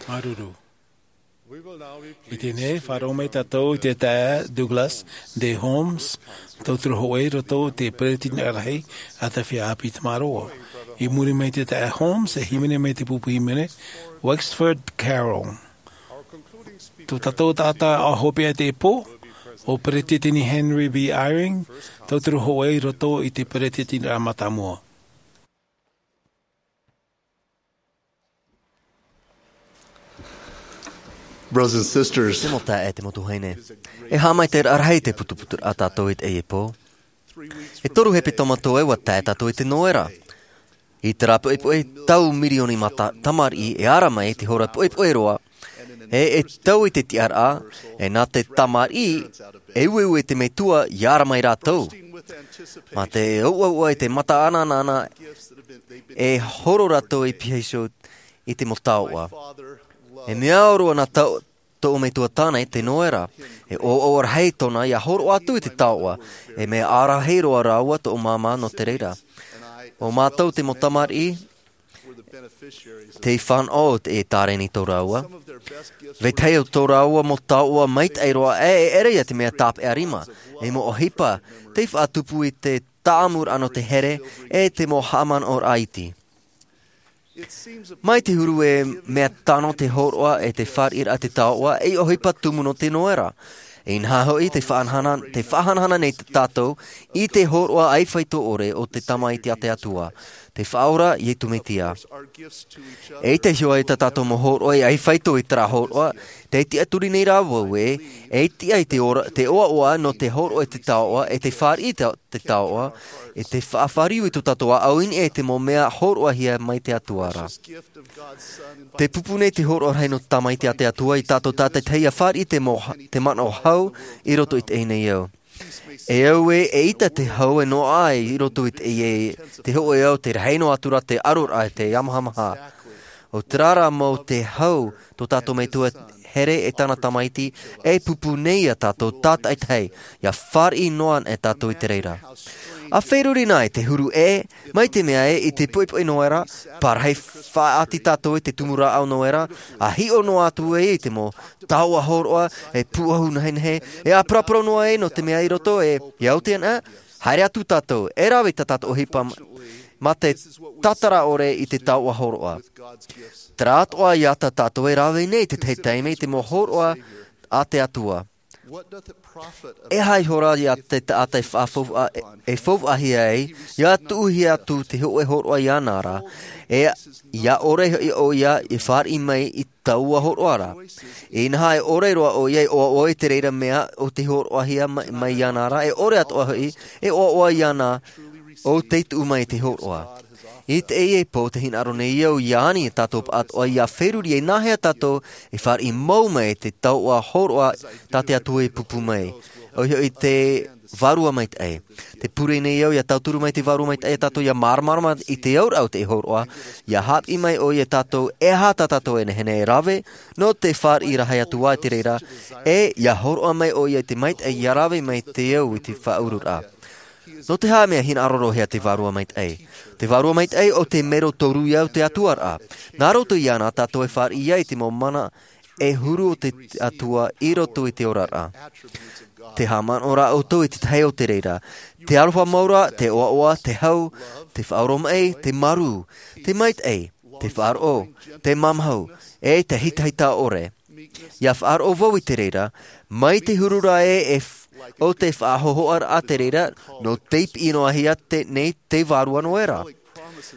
Māuruuru. I teie nei, faʻaroʻo mai tātou i te taeaʻe Douglas D. Holmes, tauturu hōʻē i roto i te peresideni rahi a te feiā ʻāpī Tamaroa. I muri mai i te taeaʻe Holmes, e hīmene mai te pupu hīmene Wexford Carroll. Tō tātou taʻata hopeʻa i teie pō, ʻo Peresideni Henry B. Eyring, tauturu hōʻē i roto i te peresideni mātāmua. Brothers and sisters, te mau taeaʻe, te mau tuahine, e haʻamaitaʻiraʻa rahi te putuputuraʻa a tātou i teie pō. E toru hepetoma atoʻa ua tae tātou i te noera. I terā poʻipoʻi, tau mirioni mā ta-, tamariʻi e ara mai i te hora poʻipoʻi roa, e, e tau i te tiʻaraʻa, e nā te tamariʻi, e ueue te metua i ara mai rātou. Mā te ʻoaʻoa i te mata anaanana, e horo rātou i piha iho i te mau taoʻa. E mea ʻore ana tau, tōʻu metua tāne te noera. E ʻoaʻoa rahi tōna ia horoʻa atu i te taoʻa. E mea ʻārahi roa rāua tōʻu māmā nō te reira. ʻO mātou te mau tamariʻi, tei fānaʻo i te tāreni tō rāua. Vetahi o tō rāua mau taoʻa maitaʻi roa, e, e ʻere ia te mea tāpeʻa rima, e mau ʻohipa, tei faʻatupu i te taʻamuraʻa nō te here, e te mau haʻamanaʻoraʻa iti. Mai te huru e mea tano te hōroʻa e te fāriʻiraʻa te taoʻa, e ʻohipa tumu nō te noera. Inaha hoʻi te faʻahanahana, te faʻahanahana nei tātou i te hōroʻa ʻaifeito ʻore o te Tamaiti a te Atua, te Faʻaora Iesu Mesia. E ʻite iho ai tā tātou mau hōroʻa e ʻaifeito i terā hōroʻa, tē tiʻaturi nei rā vau ē, e tiʻa i te ora, te ʻoaʻoa nō te hōroʻa e te taoʻa, e te fāriʻi te, te taoʻa, e te faʻafāriu i tō tātou ʻāʻau i niʻa i te mau mea hōroʻahia mai te Atua ra. Tē pupu nei te hōroʻa rahi nō te Tamaiti a te Atua ia tātou tātaʻitahi ʻia fāriʻi te mau, te manaʻo hau i roto i teie nei ao. E au ē, eʻita te hau e noaʻa ai i roto i te, i te hōʻē ao, tē rahi noa atu ra te ʻaroraʻa, te ʻāmahamaha. ʻO terā rā mau te hau, tō tātou Metua here e tāna Tamaiti, e pupu nei ia tātou tātaʻitahi, ʻia fāriʻi noa anaʻe tātou i te reira. ʻA feruri na i te huru ē, mai te mea ē, i te poʻipoʻi noera, parahi faʻaʻati tātou i te tumu rāʻau noera, ʻa hiʻo noa atu ē i te mau taoʻa hōroʻa, e pūʻohu nehenehe, e ʻāparaparau noa ē nō te mea i roto, e, ʻia oti anaʻe, haere atu tātou, e rave tā tātou ʻohipa mā te tātara ʻore i te taoʻa hōroʻa. Terā atoʻa ia tā tātou e rave nei i te tahi taime i te mau hōroʻa a te Atua. E aha ihora ia te taʻata e faʻafaufaʻa, e faufaʻahia ai, ʻia tuʻuhia atu te hōʻē hōroʻa iāna ra, e ʻia ʻore hoʻi ʻoia e fāriʻi mai i taua hōroʻa ra. Inaha e ʻore roa ʻoia e ʻoaʻoa i te reira mea o te hōroʻahia mai, mai iāna ra, e ʻore atoʻa hoʻi e ʻoaʻoa iāna ʻo tei tuʻu mai i te hōroʻa. I teie pō tē hinaʻaro nei au ʻia ani e tātou pāʻatoʻa ʻia feruri e nāhea tātou e fāriʻi mau mai i te taoʻa hōroʻa tā te Atua e pupu mai. ʻOia hoʻi te Vārua Maitaʻi. Tē pure nei au ʻia tauturu mai te Vārua Maitaʻi ia tātou ʻia māramarama i te auraʻa o te hōroʻa, ʻia haʻapiʻi mai ʻoia ia tātou e aha tā tātou e nehenehe e rave, nō te fāriʻi rahi atu ā i te reira, e ʻia hōroʻa mai ʻoia i te maitaʻi ʻia rave mai te au i te faʻaururaʻa. Nō te aha mea hinaʻaro roa hia te Vārua Maitaʻi? Te Vārua Maitaʻi ʻo te mero toru ia o te Atua ra. Nā roto iāna tātou e fāriʻi ai te mau mana e huru o te Atua i roto i te oraraʻa. Tē haʻamanaʻo ra ʻoutou i te tahi o te reira. Te aroha mau ra, te ʻoaʻoa, te hau, te faʻaoromaʻi, te marū, te maitaʻi, te faʻaroʻo, te mamahu, e te hitahita ʻore. ʻIa faʻaroʻo vau i te reira, mai te huru ra ē, e f-, ʻo te faʻahōhoʻaraʻa te reira, nō tei piʻi noa hia te, nei te Vārua Noera.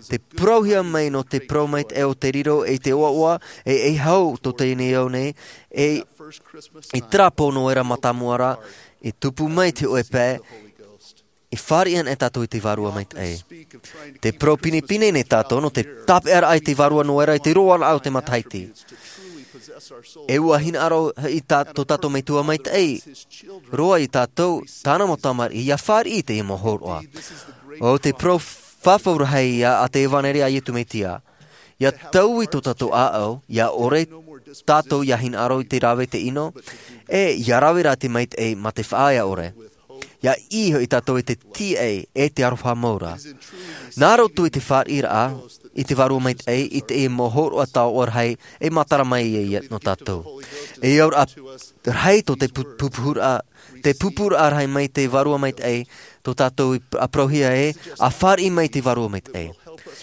Tē parauhia mai nō te parau maitaʻi o te riro i te ʻoaʻoa, e, e hau tō teie nei ao nei, e, i terā pō Noera mātāmua ra, i tupu mai te hōʻē pae, e fāriʻi anaʻe tātou i te Vārua Maitaʻi. Tē parau pinepine nei tātou nō te tāpeʻaraʻa i te Vārua Noera i te roaraʻa o te matahiti. E ʻua hinaʻaro i tā, tō tātou Metua Maitaʻi roa ia tātou, tāna mau tamariʻi, ʻia fāriʻi i teie mau hōroʻa. ʻO te parau fafau rahi ia a te ʻEvaneria a Iesu Mesia. ʻIa taui tō tātou ʻāʻau, ʻia ʻore tātou ʻia hinaʻaro i te rave i te ʻino, e ʻia rave rā te maitaʻi mā te faʻaea ʻore. Ia ʻī hoʻi tātou i te tīaʻi e te aroha mau ra. Nā roto i te fāriʻiraʻa i te vārua maitaʻi i teie mau hōroʻa taoʻa rahi e matara mai ai nō tātou. E auraʻa rahi tō te pu- pūpuhuraʻa, te pūpūraʻa rahi mai te vārua maitaʻi tō tātou i parauhia e a fāriʻi mai te vārua maitaʻi.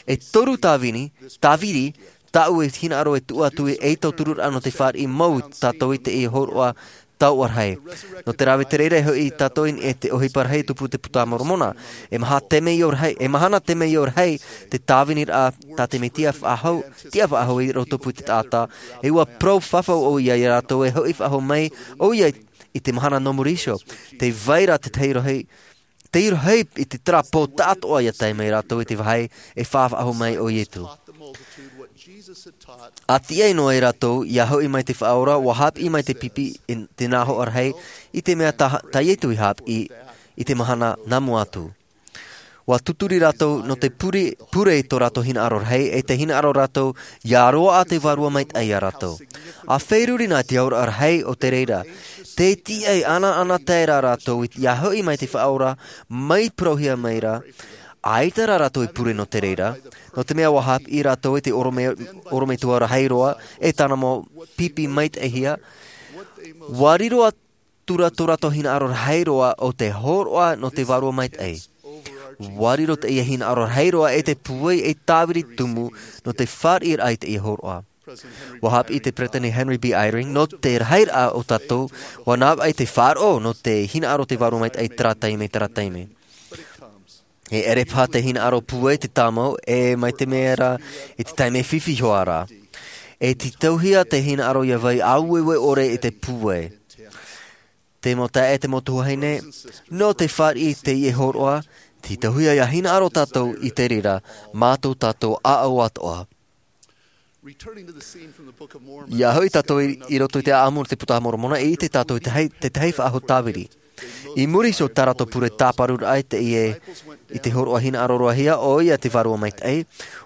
E toru tāvini tāviri tāʻu e hinaʻaro e tuʻu atu i ei tautururaʻa nō te fāriʻi mau tātou i teie hōroʻa taoʻa rahi. Nō te rave te reira e hoʻi tātou i niʻa i te ʻohipa rahi tupu te puta moromona. E maha te mea rahi e mahana te mea rahi te tāviniraʻa tā te mesia faʻahou tiʻa faʻahou i roto pū te taʻata. E ua parau fafau ʻo ia iā rātou e hoʻi faʻahou mai ʻo ia i te mahana nō muri iho. Te vai ra te tahi rohi te irohei i te tarapō taʻatoʻa ia tae mai rātou i te vāhi e faʻafaʻahou mai ʻo iesu. A tiʻai noa e rātou ia hoʻi mai te faʻaora ua hāpiʻi mai te pipi i te nā hoʻa rahi i te mea tā iesu i hāpiʻi i te mahana nā mua atu. Ua tuturi rātou nō te pure i tō rātou hinaʻaro rahi e te hinaʻaro rātou ia roaʻa te vārua maitaʻi iā rātou. A feruri nā te auraʻa rahi o te reira te tiʻai ʻanaʻana tae rā rātou ia hoʻi mai te faʻaora mai parauhia mai ra. ʻAita rā rātou i pure nō te reira nō te mea ua hāpiʻi rātou i te ʻorometua rahi roa e tāna mau pipi maitaʻihia. Ua riro atu ra tō rātou hinaʻaro rahi roa o te hōroʻa nō te vārua maitaʻi. Ua riro teie hinaʻaro rahi roa e te pūai e tāviri tumu nō te fāriʻiraʻa i teie hōroʻa. Ua hāpiʻi te peresideni henry b eyring nō te rahiraʻa o tātou ua navaʻi te faʻaroʻo nō te hinaʻaro te vārua maitaʻi i terā taime terā taime. E ʻere paha te hinaʻaro pūai te tāmau e mai te mea rā i te taime fifi hoʻi rā. E tītauhia te hinaʻaro ia vai aueue ʻore i te pūai. Te mau taeaʻe te mau tuahine nō te fāriʻi i teie hōroʻa. Tītauhia ia hinaʻaro tātou i te reira mā tō tātou ʻāʻau atoʻa. Ia hoʻi tātou i roto i te ʻaʻamu o te puta moromona e ʻite tātou i te tahi faʻahou tāviri. I muri iho tā rātou pure tāparuraʻa i teie i te hōroʻa hinaʻaro roahia ʻo ia te vārua maitaʻi.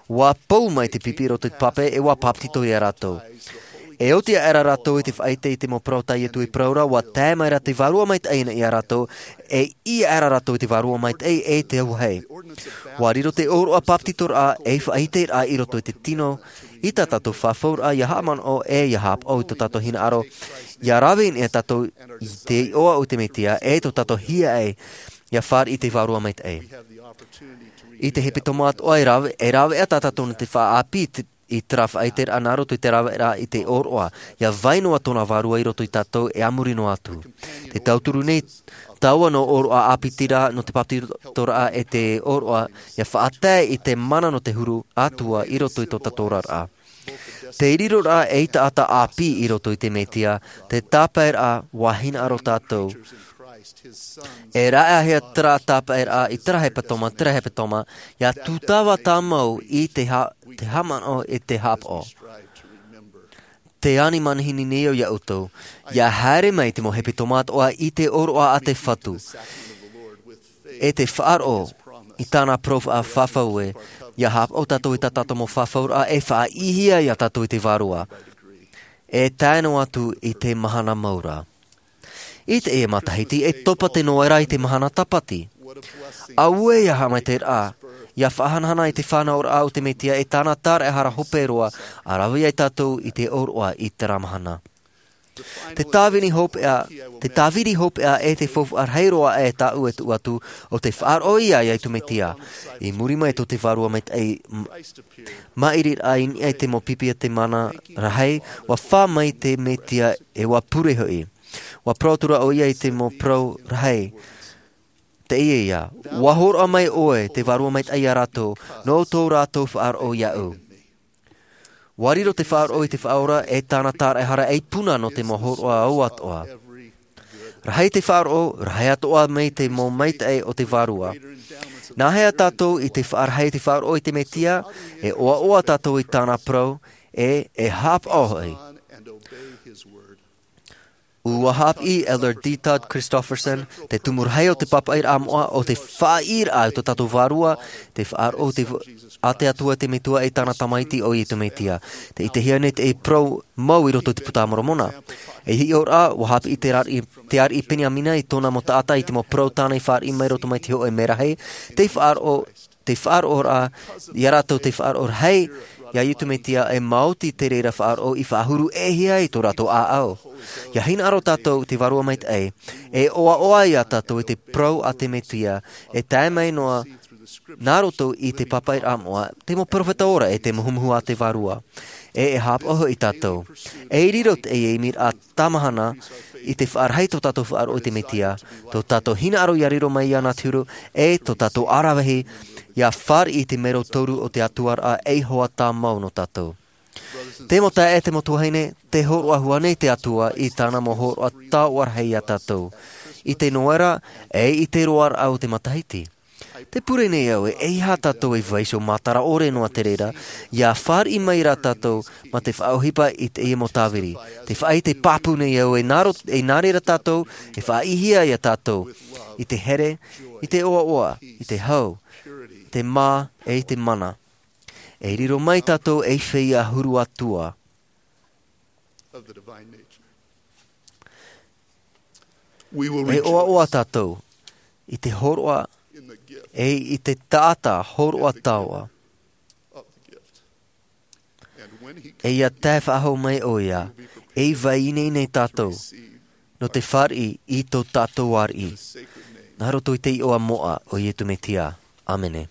Ua pou mai te pipi i roto i te pape e ua bāpetizo iā rātou. E oti aʻera rātou i te faʻaʻite i te mau parau tā iesu i parau ra ua tae mai ra te vārua maitaʻi iā rātou e ʻī aʻera rātou i te vārua maitaʻi e te auahi. Ua riro te ʻōroʻa bāpetizoraʻa ei faʻaʻiteraʻa i roto i te tino i tā tātou fafauraʻa ia haʻamanaʻo e ia haʻapaʻo i tō tātou hinaʻaro ia rave i niʻa tātou i te iʻoa o te mesia e tō tātou hiaʻai ia fāriʻi i te vārua maitaʻi. I te hepetoma atoʻa e raveʻa tā tātou nō te faʻaʻāpī i terā faʻaʻiteraʻa nā roto i te raveraʻa i te ʻōroʻa ia vai noa tōna vārua i roto iā tātou e a muri noa atu. Te tauturu nei taua nō ʻōroʻa ʻāpitiraʻa nō te bāpetizoraʻa e te ʻōroʻa ia faʻatae i te mana nō te huru ʻatua i roto i tō tātou oraraʻa. Te riroraʻa ei taʻata ʻāpī i roto i te mesia te tāpaeraʻa ua hinaʻaro tātou. E raʻehia terā tāpaeraʻa i terā hepetoma terā hepetoma ia tūtava tāmau i te haʻamanaʻo i te haʻapaʻo. Te ani manihini nei au iā ʻoutou ia haere mai te mau hepetoma atoʻa i te ʻōroʻa a te fatu e te faʻaroʻo i tāna parau faʻafafau ē ia haʻapaʻo tātou i tā tātou mau fafauraʻa e faʻaʻīhia iā tātou i te vārua e tae noa atu i te mahana mau ra. I teie matahiti e topa te noera i te mahana tāpati. Auē ia haʻamaitaʻiraʻa ia faʻahanahana i te fānauraʻa o te mesia e tāna tāraʻehara hope roa a rave ai tātou i te ʻōroʻa i terā mahana. Te tāvini hopeʻa te tāviri hopeʻa e te faufaʻa rahi roa e tāʻu e tuʻu atu o te faʻaroʻo ia iā iesu mesia. I muri mai tō te vārua maitaʻi maʻiriraʻa i niʻa i te mau pipi a te mana rahi ua fā mai te mesia e ua pure hoʻi. Ua parau atu ra ʻo ia i te mau parau rahi. Teie ia ua hōroʻa mai ʻoe te vārua maitaʻi iā rātou nō tō rātou faʻaroʻo iāʻu. Ua riro te faʻaroʻo i te faʻaora e tāna tāraʻehara ei puna nō te mau hōroʻa atoʻa. Rahi te faʻaroʻo rahi atoʻa mai te mau maitaʻi o te vārua. Nāhea tātou i te faʻarahi i te faʻaroʻo i te mesia e ʻoaʻoa tātou i tāna parau e e haʻapaʻo hoʻi. ʻUa haʻapiʻi Elder D. Todd Christofferson, te tumu rahi o te pāpaʻiraʻa moʻa, ʻo te faʻaʻīraʻa o tō tātou Vārua, te faʻaroʻo te v-, a te Atua te Metua e tāna Tamaiti ʻo Iesu Mesia. Tē ʻitehia nei te parau mau i roto i te Puta a Moromona. E hiʻoraʻa, ʻua haʻapiʻi te ariʻi, te ariʻi Peniamina i tōna mau taʻata i te mau parau tāna i fāriʻi mai roto mai te hōʻē merahi, te faʻaroʻo, te faʻaroʻoraʻa, ia rātou te faʻaroʻo rahi, ia Iesu Mesia e maoti te reira faʻaroʻo i faʻahuru e hia i tō rātou ʻāʻau. ʻIa hinaʻaro tātou te Vārua Maitaʻi, e ʻoaʻoa ia tātou i te parau a te Mesia, e tae mai noa nā roto i te pāpaʻiraʻa moʻa, te mau peropheta ora e te muhumuhu a te Vārua. E, e haʻapaʻo hoʻi tātou. E riro te, e, e miraʻa tāmahana i te faʻarahi tō tātou faʻaroʻo i te Mesia, tō tātou hinaʻaro ia riro mai iāna te huru, e tō tātou aravihi, ia fāriʻi i te mero toru o te Atua raʻa e hoʻi tāmau nō tātou. Te mau taeaʻe, te mau tuahine, tē hōroʻa hua nei te Atua i tāna mau hōroʻa taoʻa rahi ia tātou. I te noera, e i te roaraʻa o te matahiti. Tē pure nei au e, eiaha tātou e vaiiho matara ʻore noa te reira, ia fāriʻi mai rā tātou, mā te faʻaʻohipa i te, i te mau tāviri. Tē faʻaʻite pāpū nei au e nā ro-, e nā reira tātou, e faʻaʻīhia ia tātou. I te here, i te ʻoaʻoa, i te hau, te mā, e i te mana. E riro mai tātou ei feiā huru Atua. E ʻoaʻoa tātou i te hōroʻa, e i te taʻata hōroʻa taoʻa. E ia tae faʻahou mai ʻoia, e vaiiho nei tātou, nō te fāriʻi i tō tātou ariʻi. Nā roto i te iʻoa moʻa o Iesu Mesia. ʻĀmene.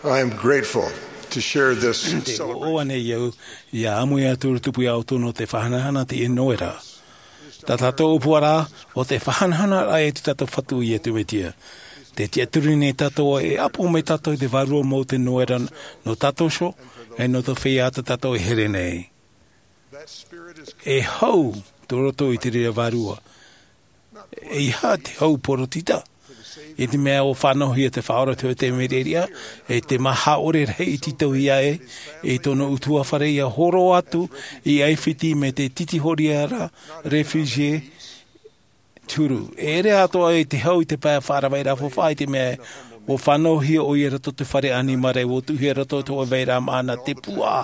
I am grateful to share this. Te ʻoʻoa nei au ia ʻāmui atu i te tupu ia ʻoutou nō te faʻahanahana i teie noera. Tā tātou ʻōpuaraʻa o te faʻahanahana raʻa i tō tātou Fatu, Iesu Mesia. Te tiʻaturi nei tātou e ʻapo mai tātou i te Vārua mau te noera nō tātou iho, e nō te feiā tā tātou e here nei. E hau tō roto i te reira Vārua. E ʻeiaha te hau poritita. I te mea ʻua fānauhia te Faʻaora i te hoʻe taime reira, e te maha ʻore rahi i tītauhia e, i tōna ʻutuāfare ia horo atu i ʻAifiti mai te tītīhōroʻa, refugee, te huru. E ʻere atoʻa i te hau i te pae faʻaravaʻi rā faufaʻa i te mea ʻua fānauhia ʻoia i roto i te fare ʻānimara, ʻua tuʻuhia i roto i te hoʻe vairaʻa māʻa nā te puaʻa.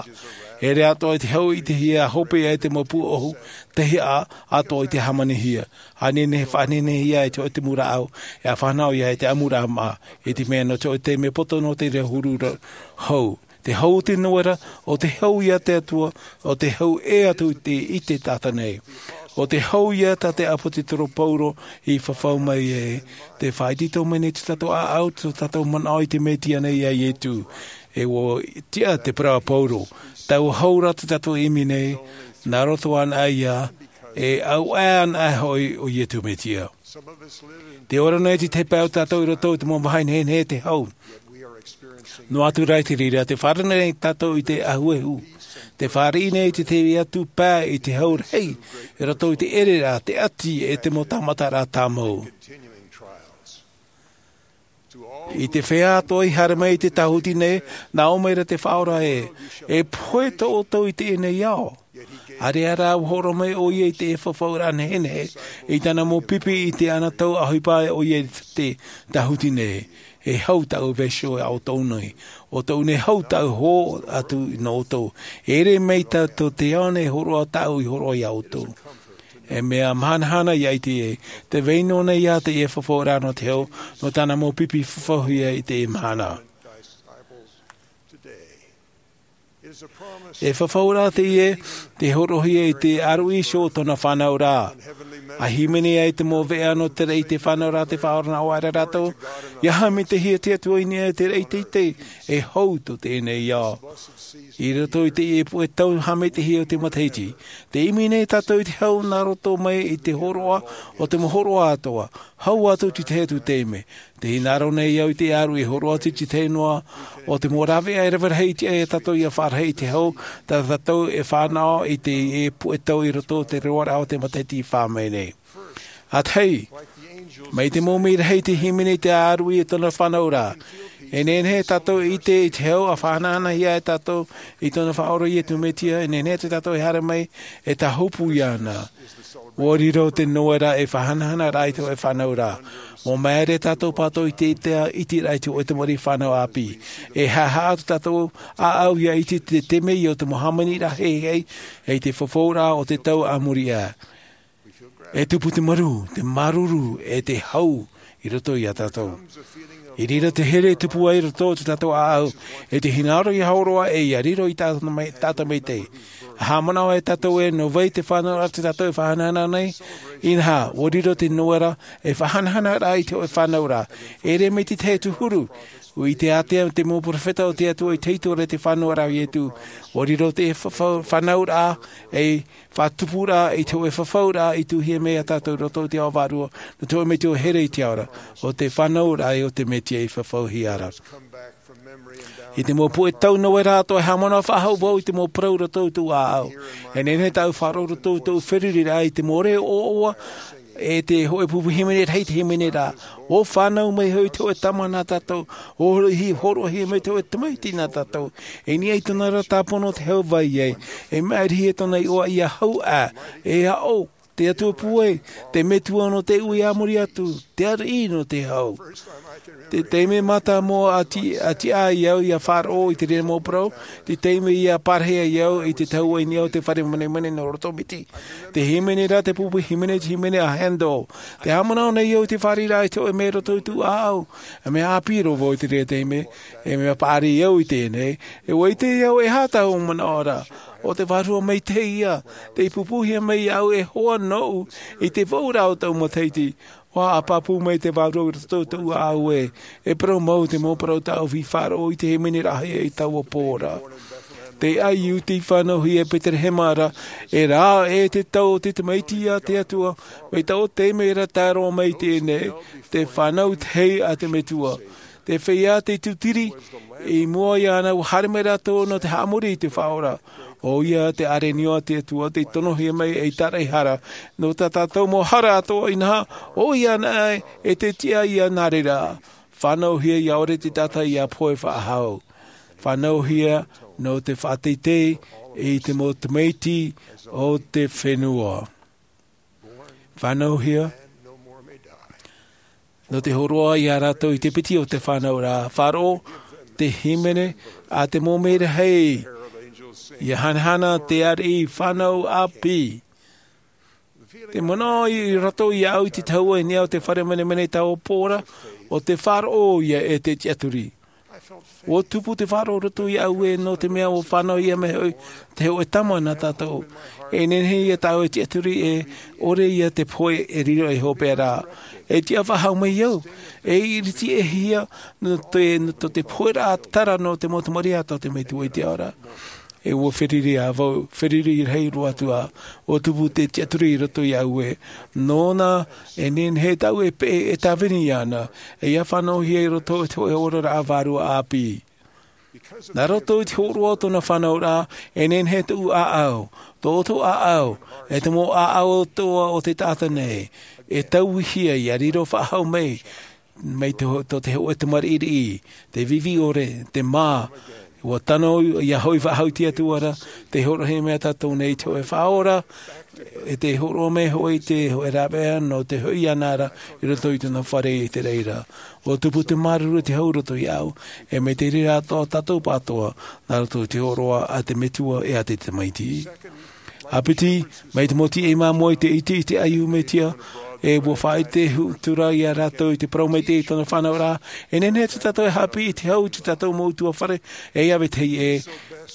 E ʻere atoʻa i te hau i te hia hope ai te mau pūʻohu, te hia atoʻa i te hāmanihia. ʻA nehenehe e faʻanehenehe ia i te hoʻe tumu rāʻau, e ʻa fānau ia i te ʻamuraʻa māʻa, i te mea nō te hoʻe taime poto nō te reira huru ra-, hau. Te hau o te noera, ʻo te hau ia te Atua, ʻo te hau ʻē atu i te, i te taʻata nei. ʻO te hau ia tā te ʻāpōsetolo Paulo i fafau mai e, tē faʻaitoito mai nei tō tātou ʻāʻau, tō tātou manaʻo i te Mesia nei ia Iesu. E ʻua tiʻa te parau a Paulo, taua hau ra tā tātou e ʻimi nei, nā roto anaʻe ia, e auaʻe anaʻe hoʻi ʻo Iesu Mesia. Tē ora nei te tahi pae o tātou i roto i te mau vāhi nehenehe te hau. Noa atu rā i te reira, tē fārerei nei tātou i te ʻahuehu. Tē fāriʻi nei te tahi atu pae i te hau rahi, i roto i te ʻereraʻa, te ʻati, e te mau tāmataraʻa tāmau. I te feiā atoʻa i haere mai i te tāhuti nei, nā ʻō mai ra te Faʻaora ē, e pohe tō ʻoutou i teie nei ao. ʻAreʻa rā ʻua hōroʻa mai ʻoia i te fafauraʻa nehenehe, i tāna mau pipi i te anotau ʻohipa ʻoia i te tāhuti nei. E hau taʻu vaiiho ia ʻoutou nei, ʻo tōʻu nei hau taʻu hō atu nō ʻoutou. E ʻere mai tātou te ao nei hōroʻa taʻu i hōroʻa ia ʻoutou. E mea mahanahana ia ʻite ē, tē vai noa nei ia teie fafauraʻa nō te hau, nō tāna mau pipi fafauhia i teie mahana. E fafauraʻa teie, tē hōroʻahia i te ʻāruʻi iho o tōna fānauraʻa. ʻA hīmene ai te mau veʻa nō te reira fānauraʻa te Faʻaora nā ʻō ra rātou, ʻia haʻamitahia te Atua i niʻa i te reira teitei, e hau tō teie nei ao. I roto i teie puʻe tau haʻamitahia o te matahiti, tē ʻimi nei tātou i te hau nā roto mai i te hōroʻa o te mau hōroʻa atoʻa, hau atu i te tahi atu taime. Tē hinaʻaro nei au i te ʻāruʻi e hōroʻa atu i te tahi noa o te mau rāveʻa e rave rahi i te ʻai ia tātou ʻia faʻarahi i te hau, tā tātou e fānaʻo i teie puʻe tau i roto i te roaraʻa o te matahiti i fā mai nei. ʻA tahi, mai te mau mea rahi tē hīmene i te ʻāruʻi i tōna fānauraʻa. E nehenehe tātou e ʻite i te hau ʻa faʻahanahanahia e tātou i tōna Faʻaora Iesu Mesia, e nehenehe tātou e haere mai e tāhopu iāna. ʻUa riro te noera ei faʻahanahana raʻa i te hoʻe fānauraʻa. ʻUa māere tātou pātou i te ʻiteraʻa i te hoʻe tamariʻi fānau ʻāpī. E haʻehaʻa atu tātou ʻāʻau ʻia ʻite te taime ia o te mau hāmaniraʻa heihei, e te fafauraʻa o te tau a muri aʻe. E tupu te marū, te māuruuru, e te hau i roto ia tātou. I reira te here e tupu ai i roto i tō tātou ʻāʻau, e te hinaʻaro ʻia hōroʻa e ʻia riro i tātou mai, tātou maitaʻi. ʻA haʻamanaʻo ai tātou ē, nō vai te fānauraʻa tā tātou e faʻahanahana nei, inaha, ʻua riro te noera ei faʻahanahana raʻa i te hoʻe fānauraʻa. E ʻere mai te tahi atu huru, ʻua ʻite ātea te mau perofeta o te Atua i te hītori o te fānauraʻa a Iesu. ʻUa riro te fa-, fa-, fānauraʻa ei faʻatupuraʻa i te hoʻe fafauraʻa i tuʻuhia mai ia tātou i roto i te ao vārua, nō te hoʻe mea tō here i te ao ra, ʻo te fānauraʻa ē ʻo te Mesia i fafauhia ra. I te mau puʻe tau noera atoʻa e haʻamanaʻo faʻahou vau i te mau parau i roto i tōʻu ʻāʻau. E nehenehe tāʻu faʻaroʻo i roto i tōʻu feruriraʻa i te mau reo ʻoaʻoa, e te hoʻe pupu hīmene rahi te hīmene ra. ʻUa fānau mai hoʻi te hoʻe tama nā tātou. ʻUa hōroʻahia mai te hoʻe tamaiti nā tātou. E niʻa i tōna ra tāpono te hau vai ai. E maʻirihia tōna iʻoa ʻia hau ā. E aʻo, te Atua pūai, te metua nō te ui a muri atu, te ariʻi nō te hau. Te taime mātāmua ʻa ti-, ʻa tiʻa ai au ʻia faʻaroʻo i te reira mau parau, te taime ʻia pārahi ai au i te tahuʻa i niʻa o te fare manemane nō Roto Miti. Te hīmene ra, te pupu hīmene, te hīmene a Handel. Tē haʻamanaʻo nei au i te fāriʻiraʻa i te hoʻe mea i roto i tōʻu ʻāʻau. E mea ʻāpī roa vau i te reira taime, e mea paʻari au i teie nei, e ʻua ʻite au e aha tāʻu manaʻo ra. ʻO te Vārua maitaʻi ia, tei pūpūhia mai iāʻu e hoa nōʻu i te vauraʻa o tāʻu matahiti. Ua pāpū mai te vārua i roto i tōʻu ʻāʻau ē, e parau mau te mau parau tāʻu i faʻaroʻo i te hīmene rahi i taua pō ra. Te ʻaiū tei fānauhia i Peterehema ra, e rā e te tau o te tamaiti a te Atua, mai taua taime ra tae roa mai i teie nei, te fānau tahi a te Metua. Te feiā tei tūtiri, i mua iāna ua haere mai rātou nō te haʻamori i te Faʻaora. ʻO ia te ʻārenio a te Atua tei tonohia mai ei tāraʻehara, nō tā tātou mau hara atoʻa inaha, ʻo ia anaʻe e te tiʻa ia nā reira. Fānauhia ʻia ʻore te taʻata ʻia pohe faʻahou. Fānauhia nō te faʻateitei i te mau tamaiti o te fenua. Fānauhia nō te hōroʻa ia rātou i te piti o te fānauraʻa. Faʻaroʻo te hīmene a te mau merahi, ʻia hanahana te ariʻi fānau ʻāpī. Te manaʻo i roto iāʻu i te tahua i niʻa o te fare menemene i taua pō ra, ʻo te faʻaroʻo ia e te tiʻaturi. Ua tupu te faʻaroʻo i roto iāʻu ē, nō te mea ua fānauhia mai hoʻi te hōʻē tama nā tātou. E nehenehe ia tāʻu e tiʻaturi e ʻore ia te pohe e riro ei hopeʻa ra. E tiʻa faʻahou mai au, e iriti e hia nō te, nō te pohe ra tara nō te mau tamariʻi a tō te Metua i te ao ra. E ua feruri ā vau, feruri rahi roa atu ā, ua tupu te tiʻaturi i roto iāʻu ē. Nōna, e nehenehe tāʻu e peʻe, e tāvini iāna, e ʻia fānauhia i roto i te hōʻē oraraʻa vārua ʻāpī. Nā roto i te hōroʻa o tōna fānauraʻa, e nehenehe tōʻu ʻāʻau, tō ʻoutou ʻāʻau, e te mau ʻāʻau atoʻa o te taʻata nei, e tauihia ʻia riro faʻahou mai, mai tō, tō te hōʻē tamariʻi riʻi, te vivi ʻore, te mā, ua tano ʻia hoʻi faʻahou i te Atua ra, tē hōroʻahia mai tātou nei te hōʻē Faʻaora, e tē hōroʻa mai hoʻi te hōʻē rāveʻa nō te hoʻi iāna ra i roto i tōna fare i te reira. Ua tupu te māuruuru i te hau i roto iāʻu, e mai te reira atoʻa tātou pātoa, nā roto i te hōroʻa a te Metua e a te Tamaiti. ʻĀpiti, mai te mau tiʻa māmoe i te ʻite i te ʻaiū Mesia, e ua faʻaʻite atu ra ia rātou i te parau maitaʻi i tōna fānauraʻa, e nehenehe tā tātou e haʻapiʻi i te hau i tā tātou mau ʻutuāfare, e ʻia vetahi ē,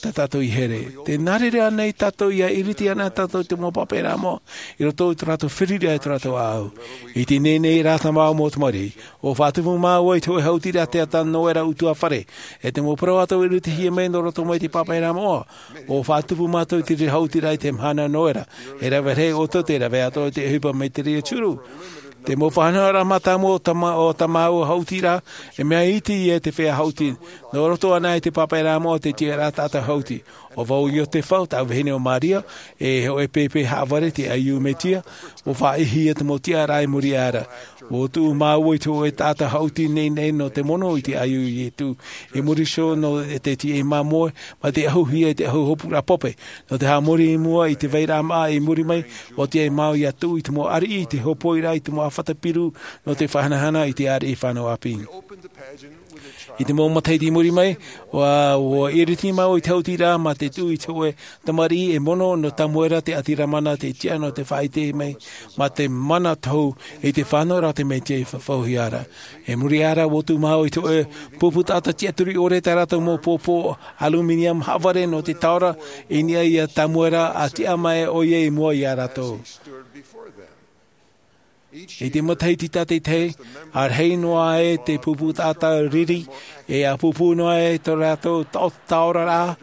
tā tātou i here. Tē nā reira ānei tātou ʻia iriti ana tātou i te mau pāpaʻiraʻa moʻa, i roto i tō rātou feruriraʻa, i tō rātou ʻāʻau. I teie nei rā, mau tamariʻi, ʻua faʻatupu māua i te hōʻē hautiraʻa teata nō ērā ʻutuāfare, e te mau parau atoʻa i iritihia mai nō roto mai i te pāpaʻiraʻa moʻa, ʻua faʻatupu mātou i te reira hautiraʻa i te mahana nō ērā, e rave rahi ʻoutou tē rave atoʻa i te ʻohipa mai te reira tiuru. Te mau faʻanahoraʻa mātāmua o tā mā-, o tā māua hautiraʻa, e mea iti ia te feiā hauti, nō roto anaʻe i te pāpaʻiraʻa moʻa te tiʻaraʻa taʻata hauti. ʻO vau ʻo Iotefa, tā vahine ʻo Maria, e hōʻē pēpē haʻavare te ʻaiū Mesia, ʻua faʻaʻitehia te mau tiʻaraʻa i muri aʻe ra. ʻUa tuʻu māua i te hōʻē taʻata hauti nei nei nō te mono i te ʻaiū Ietu, i muri iho nō te tiʻa māmoe, mā te ʻahuhia i te ʻahu hopuraʻa pope, nō te haʻamori i mua i te vairaʻa māʻa i muri mai, ʻua tiʻa māua ʻia tuʻu i te mau ariʻi i te hōpoiraʻa i te mau ʻāfata piru, nō te faʻahanahana i te ariʻi fānau ʻāpī. I te mau matahiti i muri mai, ʻua, ʻua iriti māua i te hautiraʻa mā te tuʻu i te hōʻē tamariʻi e mono nō Tamuera te ʻāti Lamana, te tiʻa nō te faʻaʻite mai, mā te mana tohu i te fānauraʻa o te Mesia i faʻaʻitehia ra. I muri aʻe ra, ʻua tuʻu māua i te hōʻē pupu taʻata tiʻaturi ʻore, tā rātou mau pōpō aluminium haʻavare nō te taora, i niʻa ia Tamuera, ʻa tiʻa mai ʻoia i mua ia rātou. I te matahiti tātaʻitahi, ʻa rahi noa ai te pupu taʻata riri, e ʻa pūpū noa ai tō rātou tao-, taoraraʻa,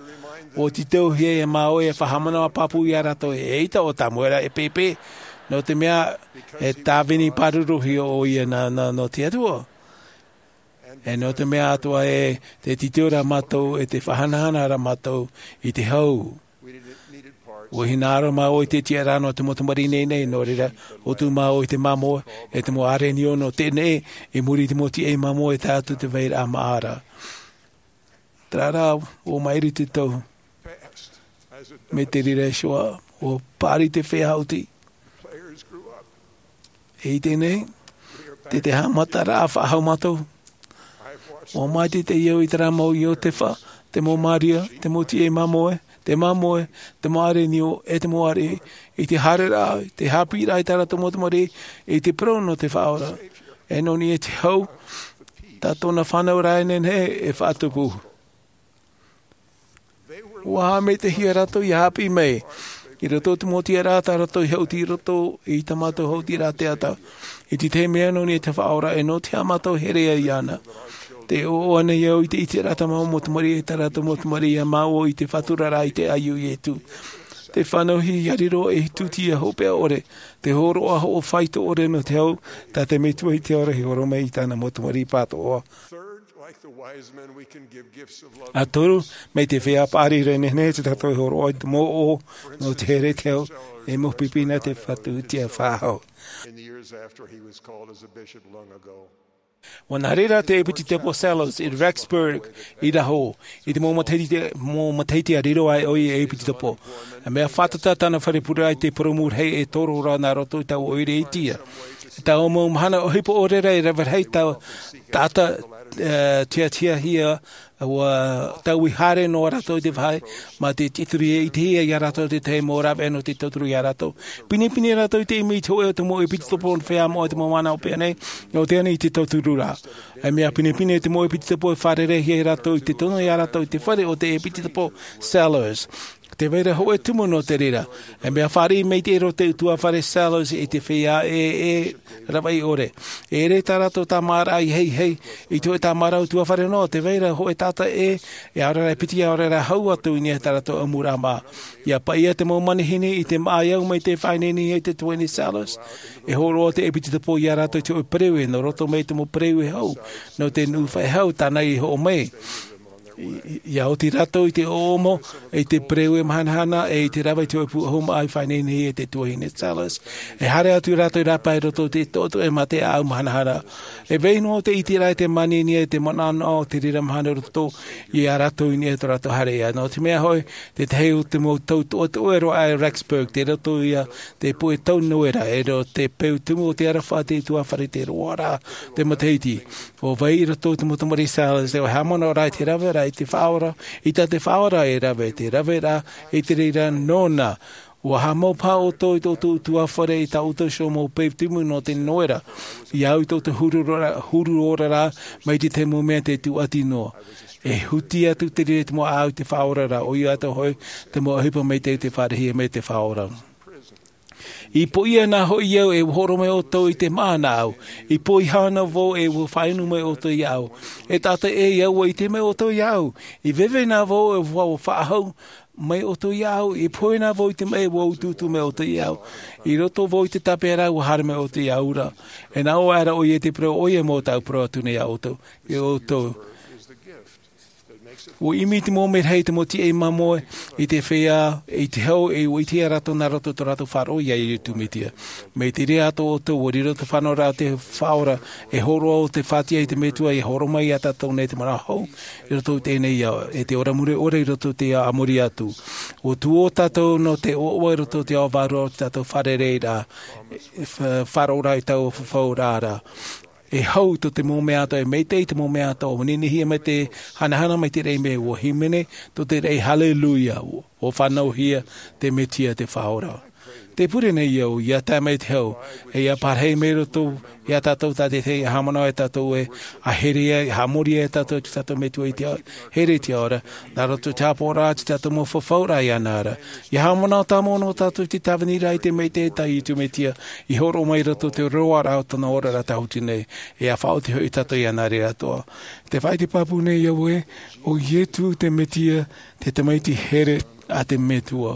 ʻua tītauhia e māua e faʻahaʻamanaʻo pāpū ia rātou, eʻita ʻo Tamuera e pēpē, nō te mea e tāvini pāruruhia ʻoia nā, nā, nō te Atua. E nō te mea atoʻa ē, tē tītau ra mātou, e tē faʻahanahana ra mātou i te hau. ʻUa hinaʻaro māua i te tiʻaraʻa nō te mau tamariʻi nei nei, nō reira, ʻua tuʻu māua i te māmoe, e te mau ʻārenio nō teie nei, i muri i te mau tiʻa māmoe e tae atu i te vairaʻa māʻa ra. Terā rā, ʻua maʻiri te tau. Mai te reira iho ā, ʻua paʻari te feiā hauti. I teie nei, tē, tē haʻamataraʻa faʻahou mātou. ʻUa māʻiti te iau i terā mau Iotefa, te mau Maria, te mau tiʻa māmoe, te māmoe, te mau ʻārenio, e te mau ariʻi, i te haereraʻa, i te haʻapiʻiraʻa i tā rātou mau tamariʻi, i te parau nō te Faʻaora. E nō niʻa i te hau, tā tōna fānauraʻa e nehenehe e faʻatupu. ʻUa haʻamaitaʻihia rātou ʻia haʻapiʻi mai, i roto i te mau tiʻaraʻa tā rātou i hauti i roto i tā mātou hautiraʻa teata. I te tahi mea nō niʻa i te Faʻaora, e nō te aha mātou e here ai iāna? Tē ʻoaʻoa nei au i te ʻiteraʻa a te mau mau tamariʻi, e tā rātou mau tamariʻi iā māua i te faʻaturaraʻa i te ʻaiū o Ietu. Te fānauhia ia riro ei tūtia hopeʻa ʻore, te hōroʻa hoʻo faito ʻore nō te hau, tā te Metua i te ora i horo mai i tāna mau tamariʻi pātoʻa. ʻA toru, mai te feiā paʻari ra, e nehenehe tātou e hōroʻa i te mau ʻoʻo nō te here i te hau, e mau pipi nā te fatu i te faʻahou. ʻUa nā reira te ʻepitetopo Selous i Rexburg, Idaho, i te mau matahiti, mau matahiti ʻa riro ai ʻoia ei ʻepitetopo. E mea fātata tāna fare pureraʻa i te purūmu rahi e toro ra nā roto i taua ʻoire itia. I taua mau mahana ʻohipa ʻore ra, e rave rahi taua taʻata, e, tiatiahia, ʻua taui haere noa rātou i te vāhi, mā te tiʻaturi e ʻitehia ia rātou te tahi mau rāveʻa nō te tauturu ia rātou. Pinepine rātou i te ʻimi i te hōʻē o te mau ʻepitetopo nō te feiā moʻa i te mau mahana hopeʻa nei, nō te ani i te tauturu ra. E mea pinepine te mau ʻepitetopo e fārereihia e rātou i te tono ia rātou i te fare o te ʻepitetopo Selous. Tē vai ra hōʻē tumu nō te reira. E mea fāriʻi maitaʻi roa te ʻutuāfare Selous i te feiā e, e ravaʻi ʻore. E ʻere tā rātou tāmāraʻa i heihei i te hōʻē tāmāraʻa ʻutuāfare noa, tē vai ra hōʻē taʻata ʻē, e ʻaore rā e piti, ʻaore rā e hau atu i niʻa i tā rātou ʻamuraʻa mā. ʻIa paʻia te mau manihini i te māʻa i au mai te faʻaineinehia i te tuahine Selous. E hōroʻa te ʻepitetopo ia rātou i te hōʻē pereue, nō roto mai te mau pereue hau, nō te nuʻu faʻehau tāna i hoʻo mai. I, i, ʻia oti rātou i te ʻōʻomo, i te pereue mahanahana, e i te rave i te hōʻē pūʻohu māʻa i faʻaineinehia e te tuahine Selous. E haere atu rātou i rāpae i roto i te toʻotoʻo e mā te ʻāʻau mahanahana. E vai noa te ʻiteraʻa i te manihini e te manaʻonaʻo o te reira mahana i roto ia rātou i niʻa i tō rātou haereʻa. Nō te mea hoʻi, te tahi o te mau tau toʻotoʻo e roaʻa e Rexburg, tei roto ia te puʻe tau Noera, e riro te peu tumu o te aroha a te ʻutuāfare i te roaraʻa o te matahiti. ʻUa vai i roto te mau tamariʻi Selous, ʻua haʻamanaʻo ra i te rave ra i te Faʻaora, i tā te Faʻaora e rave, te rave ra i te reira nōna. ʻUa haʻamau paha ʻoutou i tō ʻoutou ʻutuāfare i tā ʻoutou iho mau peu tumu nō te Noera. Ia au i tō ʻoutou huru ora, huru ora ra, mai te tahi mau mea tē tūʻati noa. E huti atu te reira i te mau ʻāʻau i te Faʻaora ra, ʻoia atoʻa hoʻi te mau ʻohipa maitaʻi tē fāriʻihia mai e te Faʻaora. I poʻia na hoʻi au e ʻua hōroʻa mai ʻoutou i te maʻa nā ʻu. I poʻihā na vau e ʻua faʻainu mai ʻoutou iāʻu. E taʻata ʻē, ʻua ʻite mai ʻoutou iāʻu. I veve na vau e ʻua faʻahou mai ʻoutou iāʻu. I pohe na vau i te maʻi e ʻua utuutu mai ʻoutou iāʻu. I roto vau i te tāpeʻaraʻa e ʻua haere mai ʻoutou iāʻu ra. E nā ʻō aʻera ʻoia i te parau, ʻoia mau tāʻu parau atu nei iā ʻoutou. Iā ʻoutou. ʻUa ʻimi te mau merahi, te mau tiʻa i māmoe, i te feiā, i te hau, e ʻua ʻitehia rātou nā roto i tō rātou faʻaroʻo iā Iesu Mesia. Mai te reira atoʻa ʻoutou, ʻua riro te fānauraʻa o te Faʻaora, e hōroʻa o te fātiʻa i te Metua, e hōroʻa mai iā tātou nei te manaʻo hou, i roto i teie nei ao, e te ora mure ʻore i roto i te ao a muri atu. ʻUa tuō tātou nō te ʻoaʻoa i roto i te ao vārua o tō tātou fārereiraʻa, e, fa-, faʻaroʻoraʻa i taua fafauraʻa ra. E hau tō te mau mea atoʻa, e maitaʻi te mau mea atoʻa, ʻua ninihia mai te hanahana mai te raʻi mē, ʻua hīmene tō te raʻi, Haleluia, ʻua fānauhia te Mesia te Faʻaora. Tē pure nei au, ʻia tae mai te hau, e ʻia pārahi mai roto iā tātou tā te tahi, ʻia haʻamanaʻo e tātou ē, ʻa here ai, ʻia haʻamori ai e tātou i tō tātou Metua i te ao, here i te ao ra, nā roto i te haʻapaʻoraʻa i tō tātou mau fafauraʻa iāna ra. ʻIa haʻamanaʻo tāmau noa tātou i te tāviniraʻa i te maitaʻi tā Iesu Mesia, i hōroʻa mai i roto i te roaraʻa o tōna oraraʻa tāhuti nei, e ʻia faʻaoti hoʻi tātou iāna ra atoʻa. Tē faʻaʻite pāpū nei au ē, ʻo Iesu te Mesia, te Tamaiti here a te Metua.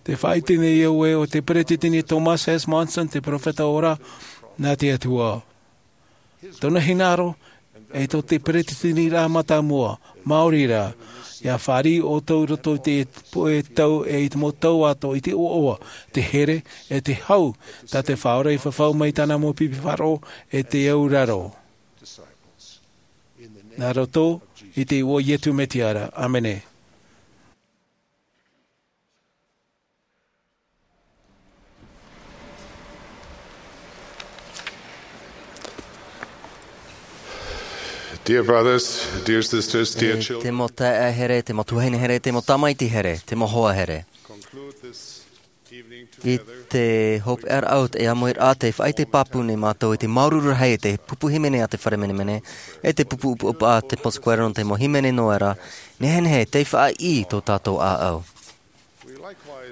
Tē faʻaʻite nei au ē, ʻo te Peresideni Thomas S. Monson, te perofeta ora, nā te Atua. Tōna hinaʻaro, e tō te Peresideniraʻa mātāmua, maori rā, ʻia fāriʻi ʻoutou i roto i te puʻe tau e i te mau tau atoʻa i te ʻoaʻoa, te here, e te hau, tā te Faʻaora i fafau mai i tāna mau pipi faʻaroʻo, e te auraro. Nā roto i te iʻoa o Iesu Mesia ra. ʻĀmene. Dear brothers, dear sisters, dear E children, te mau taeaʻe here, te mau tuahine here, te mau tamaiti here, te mau hoa here. Conclude this evening I together te hopeʻaraʻa o te ʻāmuiraʻa, tē faʻaʻite pāpū nei mātou i te māuruuru rahi, i te pupu hīmene a te Fare Menemene, e te pupu ʻupaʻupa a te Pō Square nō te mau hīmene Noera, nehenehe tei faʻaʻī tō tātou ʻāʻau.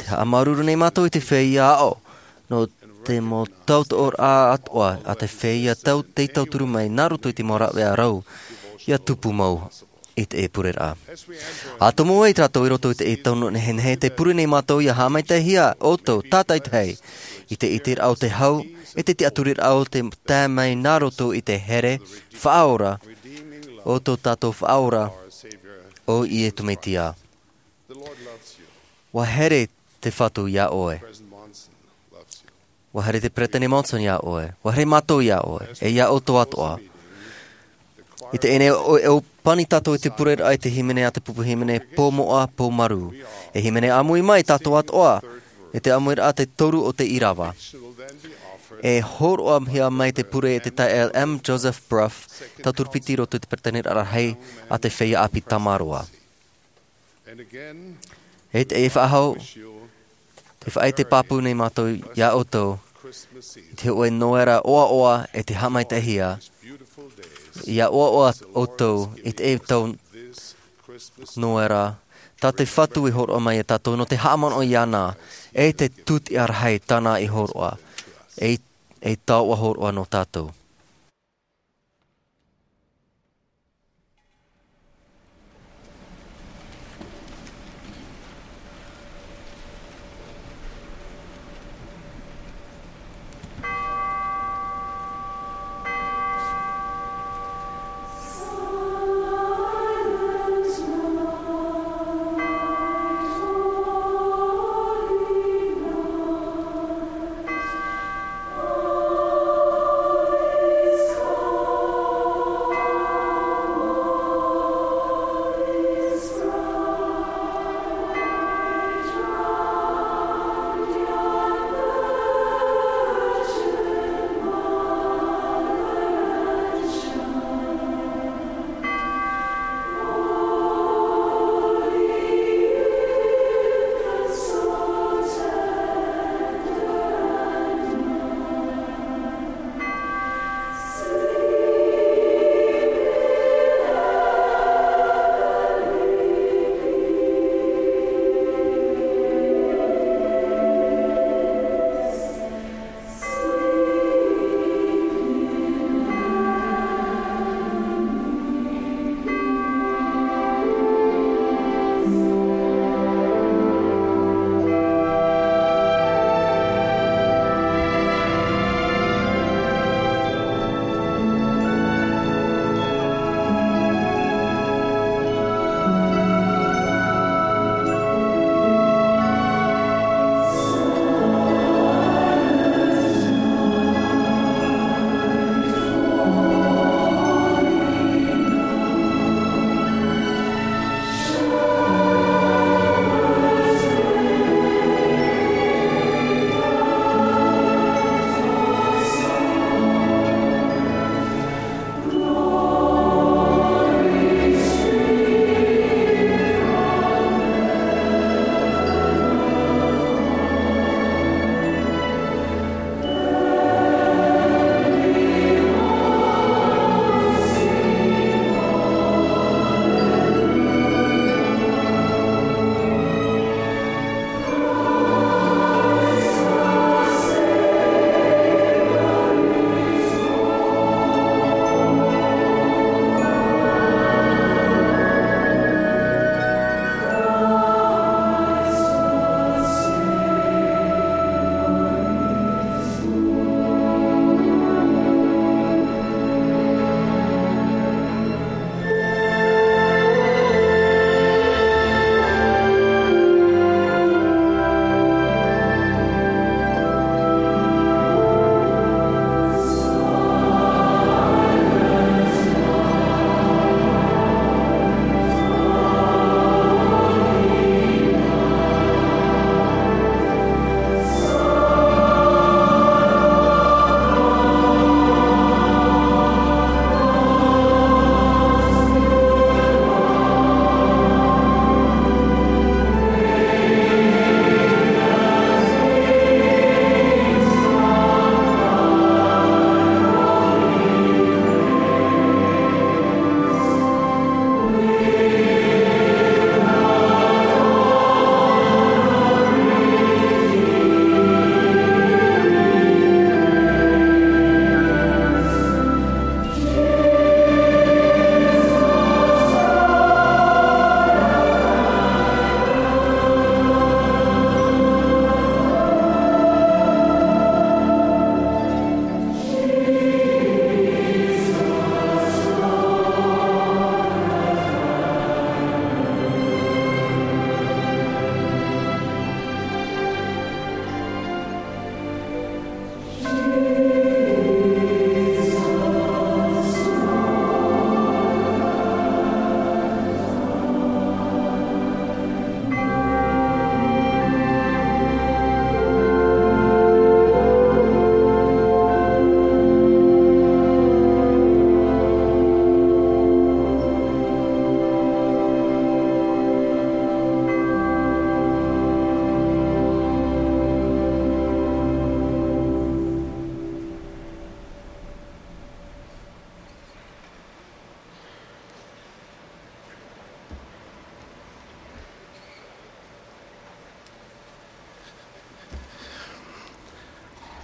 Tē haʻamāuruuru nei mātou i te feiā aʻo, nō te mau tautoʻoraʻa atoʻa a te feiā tei tauturu mai nā roto i te mau rāveʻa rau ia tupu mau i te pureraʻa. ʻA tomo ai tātou i roto i te tau nehenehe, tē pure nei mātou ia haʻamaitaʻihia ʻoutou tātaitahi i te ʻiteraʻa o te hau, e te tiʻaturiraʻa o te tae mai nā roto i te here faʻaora o tō tātou Faʻaora, ʻo Iesu Mesia. ʻUa here te Fatu iā ʻoe. ʻUa here te Peresideni Monson iā ʻoe. ʻUa here mātou iā ʻoe, e iā ʻoutou atoʻa. I teie nei, ʻo, ʻo pani tātou i te pureraʻa i te hīmene a te pupu hīmene, Pō Moʻa, Pō Maru. E hīmene ʻāmui mai tātou atoʻa, i te ʻāmuiraʻa te toru o te ʻīrava. E hōroʻahia mai te pure e te taeaʻe M. Joseph Brough, tauturu piti i roto i te Peresideniraʻa Rahi a te Feiā ʻĀpī Tamaroa. E te, e faʻahou, tē faʻaʻite pāpū nei mātou iā ʻoutou, i te hōʻē noera ʻoaʻoa e te haʻamaitaʻihia, ia ʻoaʻoa ʻoutou i te tau noera, tā te Fatu i hōroʻa mai iā tātou nō te haʻamanaʻo iāna, e te tūtiʻa rahi tāna i hōroʻa, e, e taoʻa hōroʻa nō tātou.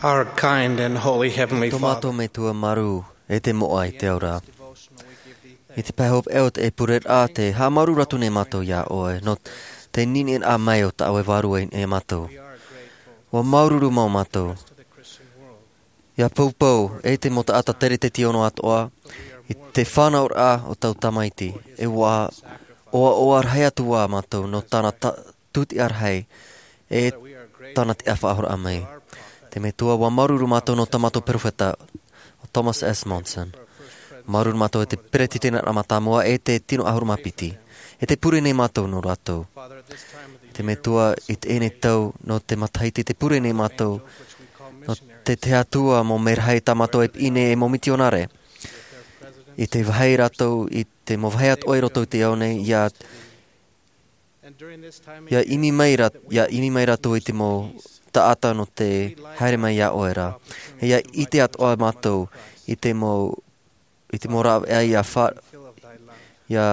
Our kind and holy Heavenly Tō Father, mātou Metua māuruuru, e te moʻa i te ao ra. I te pae hopeʻa o te pureraʻa, te haʻamāuruuru atu nei mātou iā ʻoe, nō te niniʻi mai o tā ʻoe Vārua iā mātou. ʻUa māuruuru mau mātou. ʻIa poupou, e te mau taʻata teretete ono atoʻa, i te fānauraʻa o tau tamaiti, e ʻua ʻoaʻoa rahi atu ā mātou nō tāna ta-, tūtiʻa rahi, e tāna tiʻa faʻahouraʻa mai. Te Metua, ʻua māuruuru mātou nō tā mātou perofeta, ʻo Thomas S. Monson. Māuruuru mātou e te peretiteni mātāmua e te tino ʻahuru mā piti. E te pure nei mātou nō rātou. Te Metua, i teie nei tau nō te matahiti, te pure nei mātou nō te, te Atua mau merahi tā mātou e piʻi nei e mau mitionare. I te vāhi rātou, i te mau vāhi atoʻa i roto i te ao nei, ʻia, ʻia ʻimi mai rā-, ʻia ʻimi mai rātou i te mau taʻata nō te haere mai iā ʻoe ra. ʻIa ʻite atoʻa mātou i te mau, i te mau rāveʻa ʻia fa-, ʻia,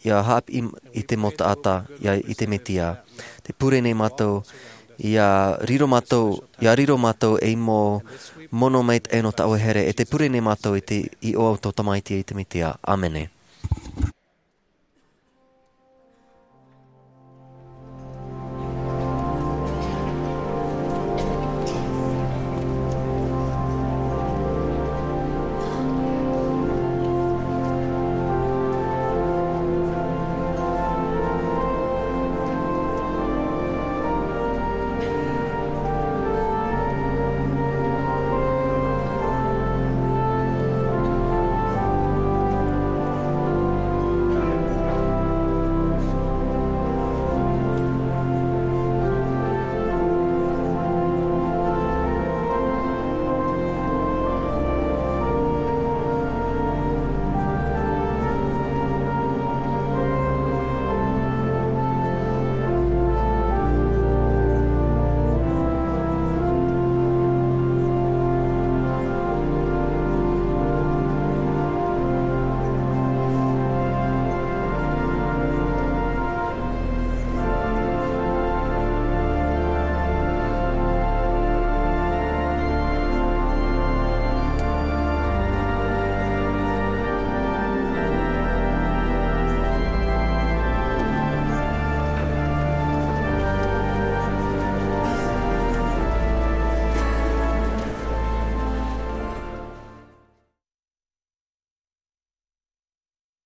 ʻia haʻapiʻi i te mau taʻata, ʻia, i te Mesia. Te pure nei mātou, ʻia riro mātou, ʻia riro mātou ei mau mono maitaʻi nō tā ʻoe here, e te pure nei mātou i te iʻoa o tō tamaiti i te Mesia. ʻĀmene.